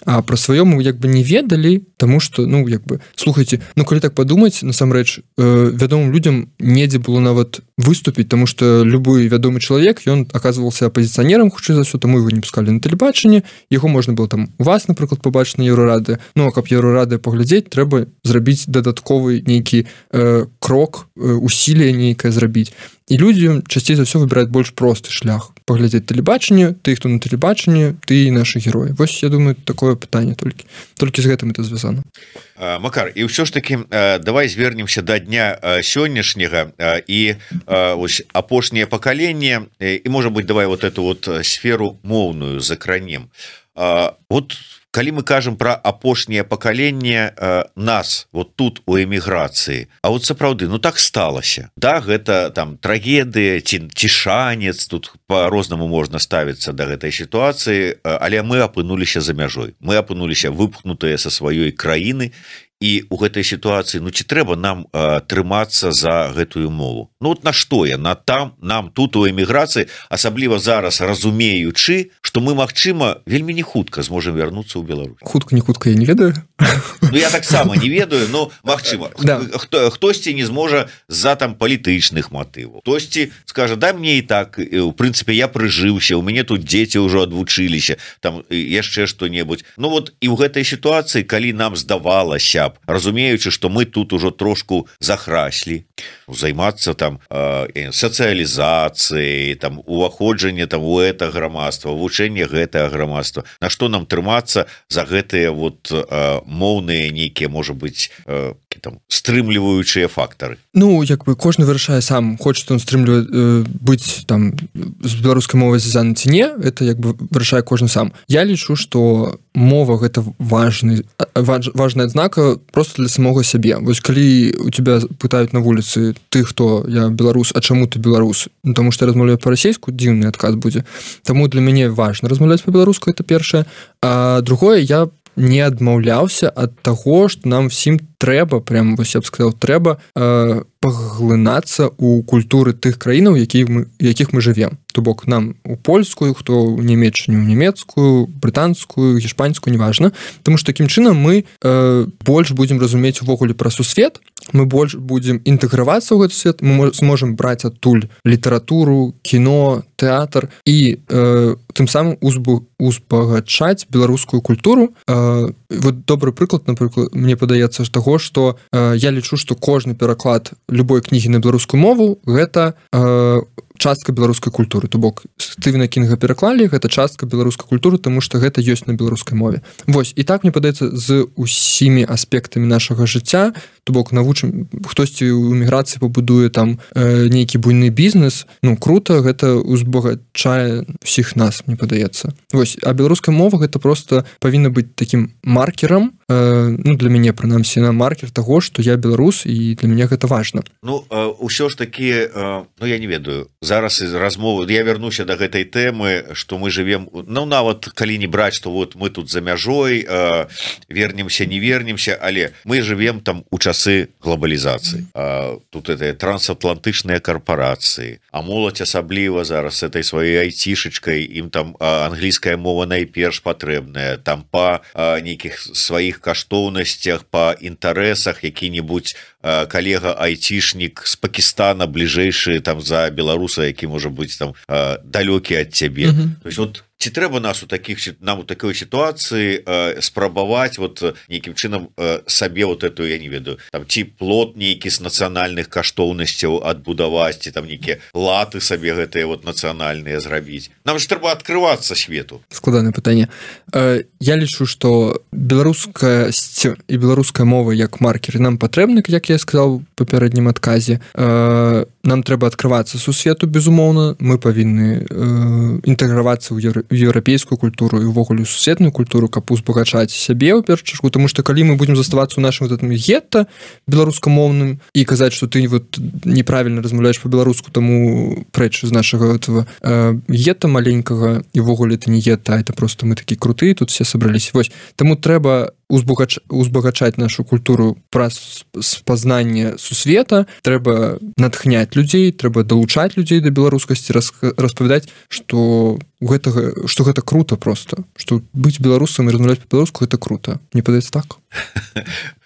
А пра сваё мы як бы не ведалі, таму што, ну, як бы, слухайце, ну, калі так падумаць, насамрэч, э, вядомым людзям недзе было нават выступіць, таму што любы вядомы чалавек, ён аказваўся апазіцыянерам, хутчэй за ўсё, таму яго не пускалі на тэлебачанне, яго можна было там у вас, напрыклад, пабачыць на Еўрарады. Ну, а каб Еўрарады паглядзець, трэба зрабіць дадатковы нейкі э, крок, э, усілие нейкае зрабіць. І людзі часцей за ўсё выбіраюць больш просты шлях. Паглядзець тэлебачанне, ты, хто на тэлебачанні, ты і нашы героі. Вось, я думаю, такое пытанне толькі. Толькі з гэтым это звязана. Макар, і ўсё ж такі, давай звернемся да дня сённяшняга і ось апошняе пакаленне, і, можа быць, давай вот эту вот сферу моўную закранем. Вот калі мы кажам пра апошняе пакаленне э, нас вот тут у эміграцыі, а вот сапраўды, ну так сталася, да, гэта там трагедыя ці, ці шанец, тут по-рознаму можна ставіцца да гэтай сітуацыі, але мы апынуліся за мяжой, мы апынуліся выпхнутыя са сваёй краіны, і у гэтай сітуацыі, ну ці трэба нам э, трымацца за гэтую мову? Ну вот на што я? На там, нам тут у эміграцыі, асабліва зараз разумеючы, што мы, магчыма, вельмі не хутка зможам вярнуцца ў Беларусь. Хутка, не хутка, я не ведаю. Ну я таксама не ведаю, но магчыма. Да. Хто, хтосьці не зможа з-за там палітычных матываў. Хтосьці скажа, да мне і так, у прынцыпе, я прыжыўся, у мяне тут дзеці ўжо адвучыліся, там яшчэ што-небудзь. Ну вот і ў гэтай сітуацыі, калі нам здавалася, разумеючы, што мы тут ужо трошку захраслі, займацца там э, сацыялізацыяй, там уваходжанне там у гэта грамадства, вывучэнне гэтага грамадства, на што нам трымацца за гэтыя вот э, моўныя нейкія, можа быць, э, нейкі там стрымліваючыя фактары? Ну як бы кожны вырашае сам, хочет он стрымліваць э, быць там з беларускай мовай звязаны ці не, это як бы вырашае кожны сам. Я лічу, што мова гэта важны важ, важная адзнака просто для самога сябе. Вось калі у тебя пытаюць на вуліцы ты хто, я беларус, а чаму ты беларус? Ну, тому што я размаўляю па-расейску, дзіўны адказ будзе. Таму для мяне важна размаўляць па-беларуску, это першае. А другое, я не адмаўляўся ад таго, што нам всім трэба, прям вось я б сказаў, трэба э, паглынацца ў культуры тых краінаў, якіх мы, якіх мы жывем. То бок нам у польскую, хто ў нямецчыну, ў нямецкую, брытанскую, гішпанскую, неважна. Таму што такім чынам мы э, больш будзем разумець увогуле пра сусвет, мы больш будзем інтэгравацца ў гэты свет, мы зможам браць адтуль літаратуру, кіно, тэатр і э, тым самым узбу, узбагачаць беларускую культуру. Э, вот добры прыклад, напрыклад, мне падаецца з таго, што э, я лічу, што кожны пераклад любой кнігі на беларускую мову гэта э, частка беларускай культуры. То бок Стывена Кінга пераклалі, гэта частка беларускай культуры, таму што гэта ёсць на беларускай мове. Вось, і так мне падаецца з усімі аспектамі нашага жыцця, то бок навучым, хтосьці ў эміграцыі пабудуе там э, нейкі буйны бізнес, ну круто, гэта узбагачае ўсіх нас, мне падаецца. Вось, а беларуская мова гэта просто павінна быць такім маркерам, э, ну для мяне прынамсі на маркер таго, што я беларус і для мяне гэта важна. Ну э, ўсё ж такі, э, ну я не ведаю, зараз из размовы я вернуся до гэтай тэмы, што мы живем, ну нават калі не браць, што вот мы тут за мяжой э, вернемся, не вернемся, але мы живем там у часы глобалізацыі. Э, тут это трансатлантычныя карпорацыі, а моладзь асабліва зараз этой сваёй айцішачкай, ім там э, англійская мова найперш патрэбная, там па э, нейкіх сваіх каштоўнасцях, па інтарэсах які-небудзь э, калега айцішнік з Пакістана бліжэйшы там за беларуса, які можа быць там э, далёкі ад цябе. Mm-hmm. То есть вот ці трэба нас у таких нам у такой сітуацыі э, спрабаваць вот нейкім чынам э, сабе вот эту, я не ведаю, там ці плот нейкі з нацыянальных каштоўнасцяў адбудаваць, ці там нейкія латы сабе гэтыя вот нацыянальныя зрабіць. Нам ж трэба адкрывацца свету. Складанае пытанне. Э, я лічу, што беларускасць і беларуская мова як маркер нам патрэбны, як я сказаў у папярэднім адказе. Э, нам трэба адкрывацца сусвету, безумоўна, мы павінны э, інтэгравацца ў еўра еўрапейскую культуру і ўвогуле сусветную культуру, каб узбагачаць сябе ў першую чаргу, тому што калі мы будзем заставацца ў нашым гэтым гетта беларускамоўным і казаць, што ты вот неправільна размаўляеш па-беларуску, таму прэч з нашага этого э, гетта маленькага, і ўвогуле это не гетта, а это просто мы такі крутыя, тут все сабраліся. Вось, таму трэба узбагач... узбагачаць нашу культуру праз спазнанне сусвета, трэба натхняць людзей, трэба далучаць людзей да беларускасці, рас... распавядаць, што гэтага, што гэта круто просто, што быць беларусам і размаўляць па-беларуску гэта круто. Мне падаецца так.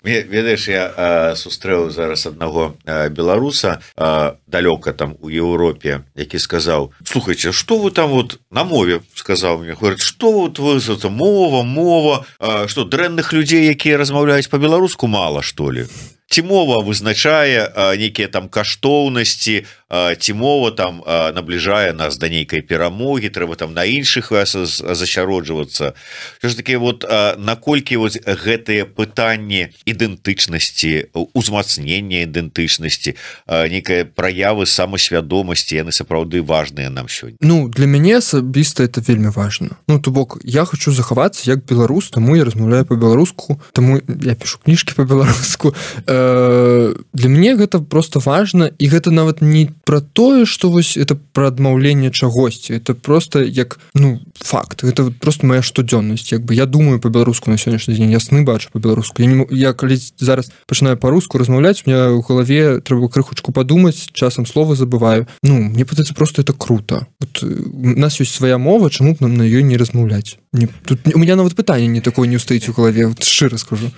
Ведаеш, я а, сустрэў зараз аднаго а, беларуса а, далёка там у Еўропе, які сказаў: слухайце, што вы там вот на мове, сказаў мне, говорит, што вот вы мова, мова, а, што дрэнных людзей, якія размаўляюць па-беларуску, мала, што ли? Ці мова вызначае а, нейкія там каштоўнасці, а, ці мова там а, набліжае нас да нейкай перамогі, трэба там на іншых засяроджвацца. Що ж такі, вот а, наколькі вот гэтыя пытанні ідэнтычнасці, узмацнення ідэнтычнасці, а, нейкая праявы самасвядомасці, яны сапраўды важныя нам сёння? Ну, для мяне асабіста это вельмі важна. Ну, то бок, я хочу захавацца як беларус, таму я размаўляю па-беларуску, таму я пішу кніжкі па-беларуску. Для мяне гэта просто важна, і гэта нават не пра тое, што вось это пра адмаўленне чагосьці, это просто як, ну, факт, гэта просто моя штодзённасць, як бы я думаю па-беларуску на сённяшні дзень, я сны бачу па-беларуску, я, не, я калі зараз пачынаю па-руску размаўляць, у меня ў галаве трэба крыхучку падумаць, часам слова забываю. Ну, мне падаецца, просто это круто. Вот, у нас ёсць свая мова, чаму б нам на ёй не размаўляць? Не, тут у меня нават пытанне не такое не ўстаіць у галаве, вот, шчыра скажу.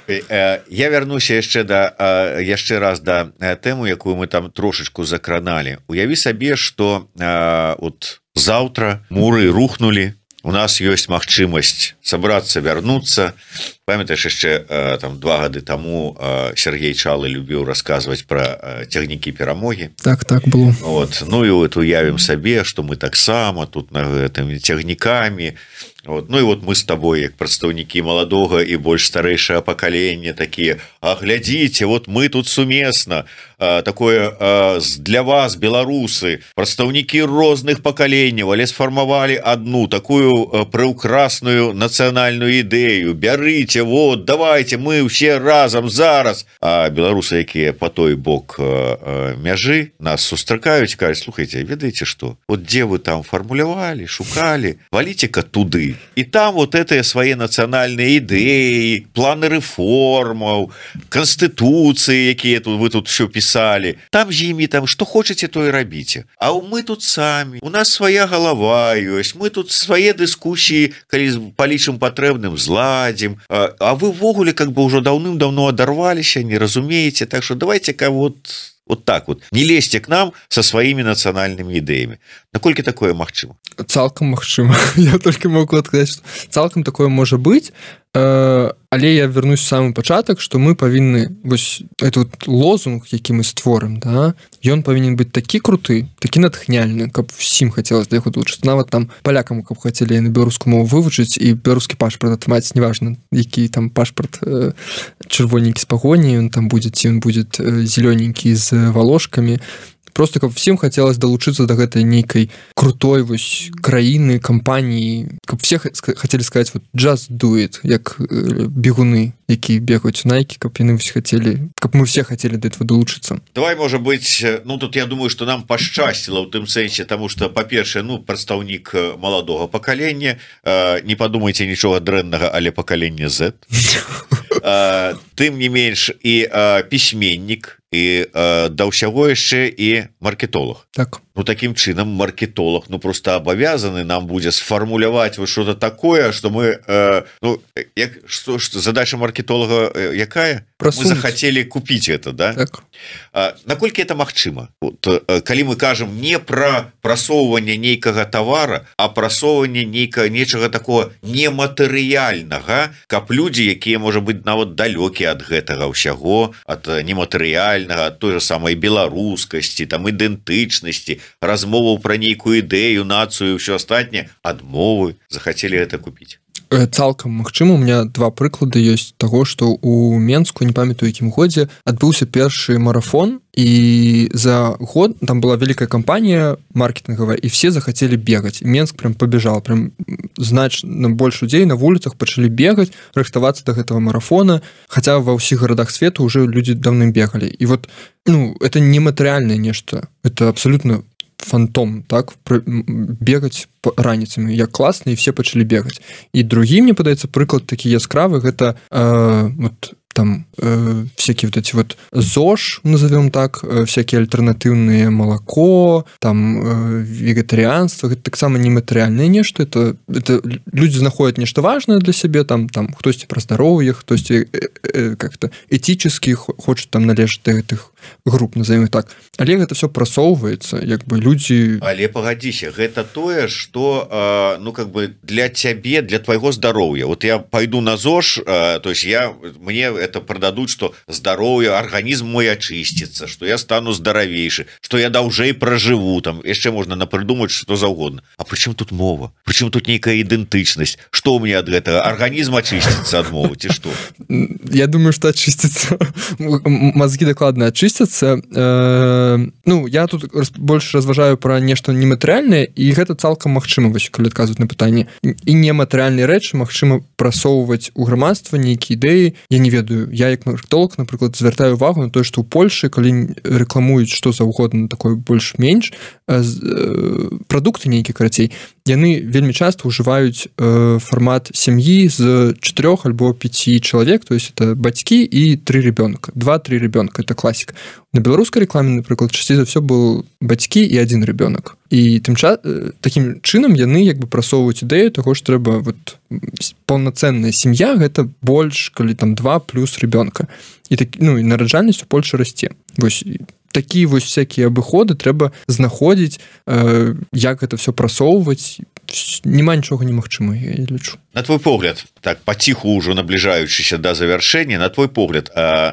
Я вярнуся яшчэ да яшчэ раз да тэму, якую мы там трошачку закраналі. Уяві сабе, што от заўтра муры рухнулі, у нас ёсць магчымасць сабрацца, вярнуцца. Памятаеш, яшчэ там два гады таму Сергей Чалы любіў расказваць пра цягнікі перамогі. Так, так было. Вот. Ну і вот уявім сабе, што мы таксама тут на гэтымі цягнікамі Вот. Ну і вот мы з табой як прадстаўнікі маладога і больш старэйшае пакалення такія, а глядзіце, вот мы тут сумесна, а, такое а, для вас, беларусы, прадстаўнікі розных пакаленняў, але сфармавалі одну такую а, прыўкрасную нацыянальную ідэю, бярыце, вот, давайте мы ўсе разам зараз. А беларусы, якія по той бок а, а, мяжы нас сустракаюць, кажуць, слухайте, ведаеце што, вот дзе вы там фармулявалі, шукалі, валіце-ка туды. І там вот этыя свае нацыянальныя ідэі, планы рэформаў, канстытуцыі, якія тут вы тут все пісалі, там з імі там што хочаце, то і рабіце. А мы тут самі, у нас свая галава ёсць, мы тут свае дыскусіі, калі палічым патрэбным, зладзім, а, а вы ввогуле как бы ўжо даўным-даўно адарваліся, не разумееце, так што давайте-ка вот вот так вот, не лезьте к нам со сваімі нацыянальнымі ідэямі. Наколькі такое магчыма? Цалкам магчыма. Я только могу адказаць, што цалкам такое можа быць, э, але я вернусь в самы пачатак, што мы павінны, вось этот лозунг, які мы створым, да, ён павінен быць такі круты, такі натхняльны, каб всім хацелось да яго долучыцца. Нават там палякам, каб хацелі яны беларускую мову вывучыць і беларускі пашпарт атрымаць, неважна, які там пашпарт э, чырвоненькі з пагоні, ён там будзе, ці ён будзе э, зелёненькі з волошками. Просто каб всем хотелось долучиться до гэтай нейкай крутой вось краіны, кампаніі, каб все хотели сказать вот just do it, як бегуны, якія бегаюць у Nike, каб яны все хотели, каб мы все хотели до этого долучиться. Давай, может быть, ну тут я думаю, что нам пашчасціла ў тым сэнсе, тому что, па-першае, ну прадстаўнік маладога пакалення, э, не подумайте нічога дрэннага, але пакаленне Z. э, тым не менш і э, пісьменнік, і э, да ўсяго яшчэ і маркетолог. Так. Ну таким чынам маркетолог ну просто абавязаны нам будзе сфармуляваць вот что-то такое, что мы э, ну як что, что задача маркетолога э, якая? Просунуть. Мы захотели купить это, да? Так. А, наколькі это магчыма? Вот, э, калі мы кажам не пра прасоўванне нейкага товара, а прасоўванне нейкага нечага такого нематэрыяльнага, каб людзі, якія можа быць нават далёкія ад гэтага ўсяго, ад нематэрыяльнага, ад той же самай беларускасці, там ідэнтычнасці, размоваў пра нейкую ідэю, нацыю, ўсё астатняе, адмовы захацелі гэта купіць. Цалкам магчыма, у меня два прыклады ёсць таго, што у Менску, не памятаю якім годзе, адбыўся першы марафон, і за год там была вялікая кампанія маркетынгавая, і все захацелі бегаць. Менск прям побежал, прям значна больш людзей на вуліцах пачалі бегаць, рыхтавацца да гэтага марафона, хаця ва ўсіх гарадах свету уже людзі даўным бегалі. І вот, ну, это не матэрыяльнае нешта, это абсолютно фантом, так, бегаць раніцамі, як класна, і все пачалі бегаць. І другі, мне падаецца, прыклад такі яскравы, гэта э, вот там э, всякие вот эти вот ЗОЖ, назовем так, э, всякие альтернативные молоко, там э, вегетарианство, это так само нематериальное нечто, это, это люди находят нечто важное для себя, там, там кто-то про здоровье, кто-то э, э, как-то этически хочет там належать до этих групп, назовем их так. Але это все просовывается, как бы люди... Але погодися, это тое, что э, ну как бы для тебе, для твоего здоровья. Вот я пойду на ЗОЖ, э, то есть я, мне это продадут, что здоровье, организм мой очистится, что я стану здоровейший, что я даўжэй проживу, там еще можно напридумать что за угодно. А причем тут мова? Причем тут некая идентичность? Что у меня от этого? Организм очистится от мовы, и что? Я думаю, что очистится. Мозги докладно очистятся. Ну, я тут больше разважаю про нешта нематэрыяльнае, і гэта цалкам магчыма, вось калі адказваць на пытанне. І нематэрыяльныя рэчы магчыма прасоўваць у грамадства нейкія ідэі. Я не ведаю, я як маркетолог, напрыклад, звяртаю увагу на тое, што ў Польшы, калі рэкламуюць што заўгодна такое больш-менш, прадукты нейкія, карацей, яны вельмі часта ўжываюць фармат сям'і з чатырох альбо пяці чалавек, то есть это бацькі і тры ребёнка, два-тры ребёнка, это класіка. На беларускай рекламе, напрыклад, часцей за ўсё был бацькі і адзін ребёнок. І тым ча... такім чынам яны як бы прасоўваюць ідэю таго, што трэба вот паўнацэнная сям'я, гэта больш, калі там два плюс ребёнка. І так, ну, і нараджальнасць у Польшы расце. Вось такія вось всякія абыходы трэба знаходзіць, э, як гэта все прасоўваць, няма нічога немагчыма, я лічу. На твой погляд, так паціху ўжо набліжаючыся да завяршэння, на твой погляд,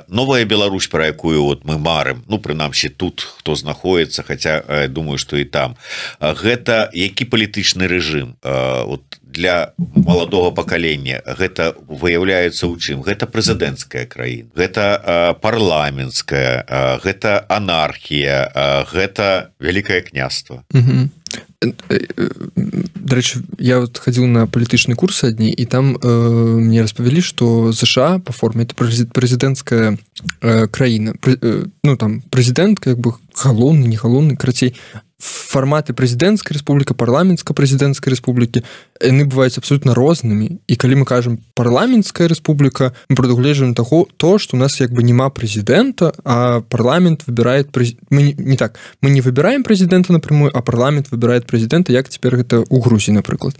новая Беларусь, пра якую вот мы марым, ну прынамсі тут хто знаходіцца, хаця думаю, што і там, гэта які палітычны рэжым вот для маладога пакалення, гэта выяўляецца ў чым? Гэта прэзідэнцкая краіна, гэта парламенцкая, гэта анархія, гэта вялікае княства. Угу. Дарэчы, я вот хадзіў на палітычны курс адні, і там э, мне распавялі, што ЗША па форме это прэзідэнцкая э, краіна. Прэ, э, ну там прэзідэнт как бы галоўны, не галоўны, карацей, фарматы прэзідэнцкай рэспубліка, парламенцкая прэзідэнцкай рэспублікі, яны бываюць абсолютна рознымі. І калі мы кажам парламенцкая рэспубліка, мы прадугледжваем таго, то, што у нас як бы няма прэзідэнта, а парламент выбірае прэз... мы не так, мы не выбіраем прэзідэнта напрямую, а парламент выбірае прэзідэнта, як цяпер гэта ў Грузіі, напрыклад.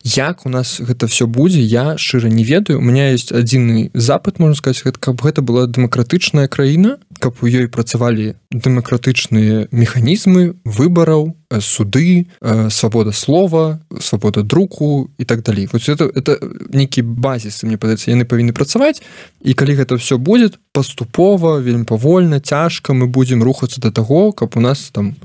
Як у нас гэта все будзе, я шчыра не ведаю. У меня есть адзіны запыт, можна сказаць, каб гэта была дэмакратычная краіна, каб у ёй працавалі дэмакратычныя механізмы выбараў, суды, свабода слова, свабода друку і так далей. Вот это, это нейкі базіс, мне падаецца, яны павінны працаваць, і калі гэта все будзе паступова, вельмі павольна, цяжка, мы будзем рухацца да таго, каб у нас там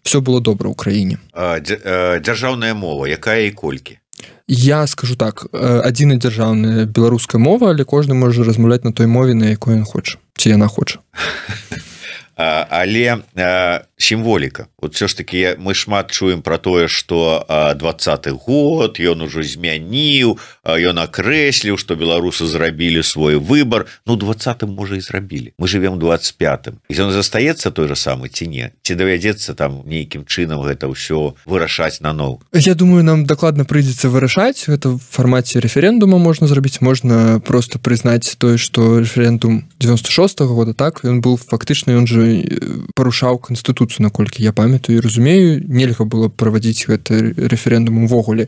все было добра ў краіне. Дзяржаўная мова, якая і колькі? Я скажу так, адзіная дзяржаўная беларуская мова, але кожны можа размаўляць на той мове, на якой ён хоча, ці яна хоча. Але сімволіка, вот все ж таки мы шмат чуем про тое, что двадцаты год ён ужо змяніў, ён акрэсліў, что беларусы зрабілі свой выбор. Ну двадцатым можа і зрабілі, мы живем двадцать пятым, і ён застаецца той же самы ці не, ці давядзецца там нейкім чынам гэта ўсё вырашаць наноў? Я думаю, нам дакладна прыйдзецца вырашаць, гэта в фармаце рэферэндума можна зрабіць, можна просто прызнаць тое, что рэферэндум девяносто шостого года, так, ён был фактычна, ён же парушаў канстытуцыю, наколькі я памятаю і разумею, нельга было правадзіць гэты рэферэндум увогуле.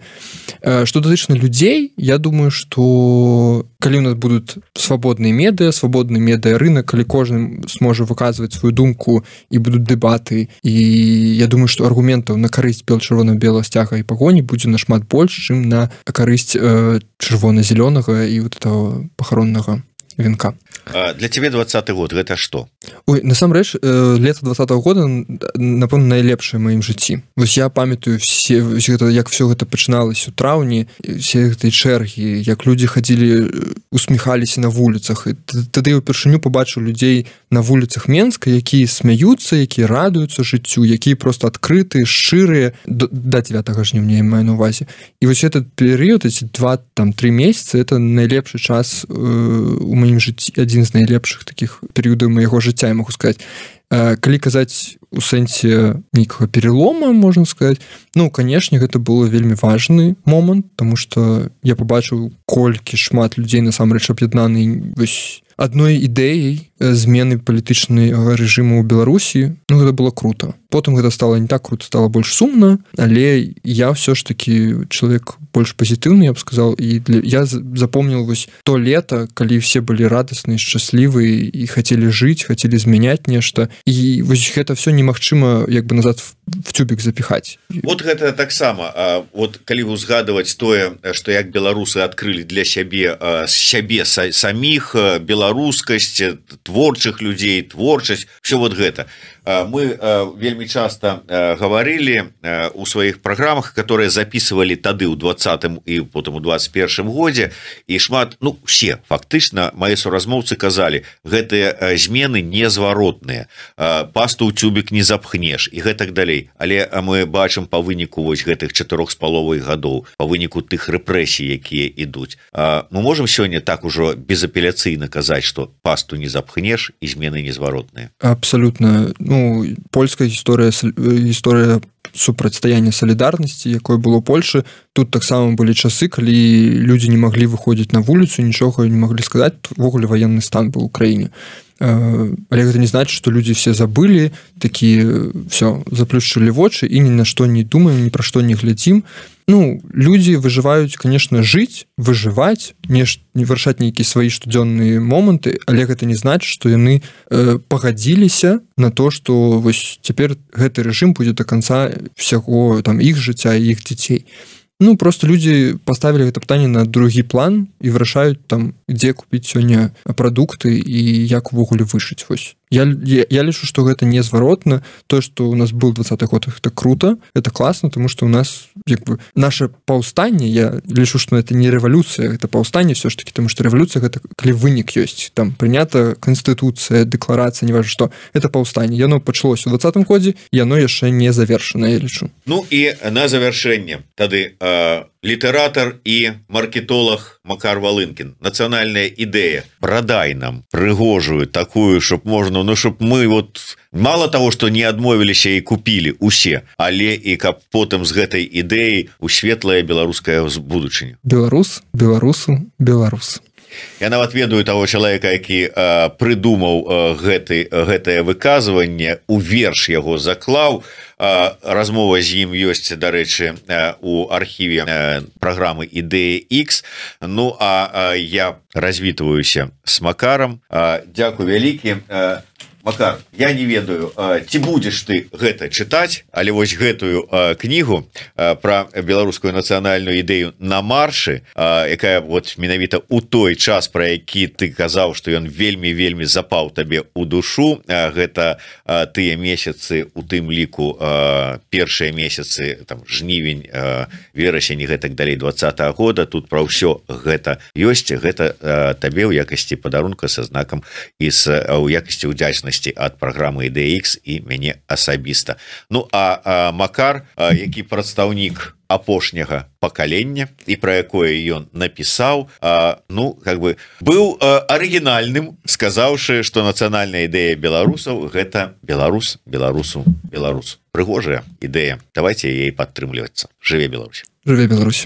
Што датычна людзей, я думаю, што калі у нас будуць свабодныя медыа, свабодны медыа-рынак, калі кожны сможа выказваць сваю думку і будуць дэбаты, і я думаю, што аргументаў на карысць бел-чырвона-белага сцяга і пагоні будзе нашмат больш, чым на карысць э, чырвона-зялёнага і вот этого пахароннага венка. Для тебе двадцаты год гэта што? Ой, насамрэч, э, лета двадцатого года, напэўна, найлепшае ў маім жыцці. Вось я памятаю все, гэта, як все гэта пачыналася у траўні, все гэтай чэргі, як людзі хадзілі, усміхаліся на вуліцах. І тады я ўпершыню пабачыў людзей на вуліцах Менска, якія смяюцца, якія радуюцца жыццю, якія проста адкрытыя, шчырыя, до, да дзевятага жніўня я маю на ўвазе. І вось этот перыяд, эти два, там, три месяцы, это найлепшы час э, у маім жыцці, адзін з найлепшых такіх перыядаў майго жыцця, я могу сказаць. Калі казаць у сэнсе нейкага перелома, можна сказаць, ну, канешне, гэта было вельмі важны момант, тому што я пабачыў, колькі шмат людзей насамрэч аб'яднаны вось адной ідэяй змены палітычнага рэжыму ў Беларусі. Ну, гэта было круто. Потым гэта стала не так круто, стала больш сумна, але я ўсё ж такі чалавек больш пазітыўны, я б сказал, і для... я запомніў вось то лета, калі все былі радасныя, шчаслівыя і хацелі жыць, хацелі змяняць нешта, і вось гэта все немагчыма як бы назад в тюбік запіхаць. Вот гэта таксама, вот калі узгадваць тое, што як беларусы адкрылі для сябе сябе саміх, беларускасць, творчых людзей, творчасць, все вот гэта. Мы вельмі часто гаварылі у сваіх праграмах, которые записывалі тады ў двадцатым і потым у двадцать першым годзе, і шмат, ну, все, фактычна, мае суразмоўцы казалі, гэтыя змены незваротныя, пасту ў тюбік не запхнеш, і гэтак далей. Але мы бачым па выніку вось гэтых чатырох з паловай гадоў, па выніку тых рэпрэсій, якія ідуць. Мы можам сёння так ужо безапеляцыйна казаць, што пасту не запхнеш і змены незваротныя? Абсолютно. Ну, польская гісторыя, гісторыя супрацьстаяння салідарнасці, якое было ў Польшы, тут таксама былі часы, калі людзі не маглі выходзіць на вуліцу, нічога не маглі сказаць, увогуле ваенны стан быў у краіне. але гэта не значит, что люди все забыли, такие все заплюшчылі вочы і ні на што не думаем, ні пра што не глядзім. Ну, люди выжываюць, конечно, жыць, выжываць, не, не вырашаць нейкія свае штодзённыя моманты, але гэта не значит, что яны э, пагадзіліся на то, что вось цяпер гэты рэжым будзе до конца всяго там іх жыцця і іх дзяцей. Ну, просто люди поставили это пытанне на другі план і вырашаюць там, дзе купіць сёння прадукты і як увогуле вышыць. Вось. Я, я, я лічу, што гэта незваротна. То, што у нас быў двадцаты год, это круто, это класна, тому што у нас як бы, наше паўстанне, я лічу, што это не рэвалюцыя, это паўстанне все ж таки, тому што рэвалюцыя гэта калі вынік ёсць. Там прынята канстытуцыя, дэкларацыя, не важна што, это паўстанне. Яно пачалося ў двадцатым годзе, яно яшчэ не завершана, я лічу. Ну і на завяршэнне тады э, літаратар і маркетолог Макар Валынкін. Нацыянальная ідэя. Прадай нам прыгожую такую, щоб можна, ну, щоб мы вот мало того, что не адмовіліся і купілі усе, але і каб потым з гэтай ідэі у светлае беларускае будучыню. Беларус, беларусу, беларус. Я нават ведаю таго чалавека, які э, прыдумаў э, гэты, гэтае выказванне, у верш яго заклаў. Э, размова з ім ёсць, дарэчы, э, у архіве э, праграмы «Ідэя Х». Ну, а э, я развітваюся с Макаром. Э, дзякуй вялікі. Э, Макар, я не ведаю, ці будзеш ты гэта чытаць, але вось гэтую кнігу пра беларускую нацыянальную ідэю на маршы, якая вот менавіта ў той час, пра які ты казаў, што ён вельмі-вельмі запаў табе ў душу, гэта тыя месяцы, у тым ліку першыя месяцы, там жнівень, верасень і гэтак далей двадцатага года, тут пра ўсё гэта ёсць, гэта табе ў якасці падарунка са знакам і ў якасці ўдзячнасці ад праграмы «Ідэя Х» і мяне асабіста. Ну, а, а Макар, а, які прадстаўнік апошняга пакалення і пра якое ён напісаў, а, ну, как бы быў а, арыгінальным, сказаўшы, што нацыянальная ідэя беларусаў гэта беларус, беларусу, беларус. Прыгожая ідэя. Давайте яе падтрымлівацца. Жыве Беларусь. Жыве Беларусь.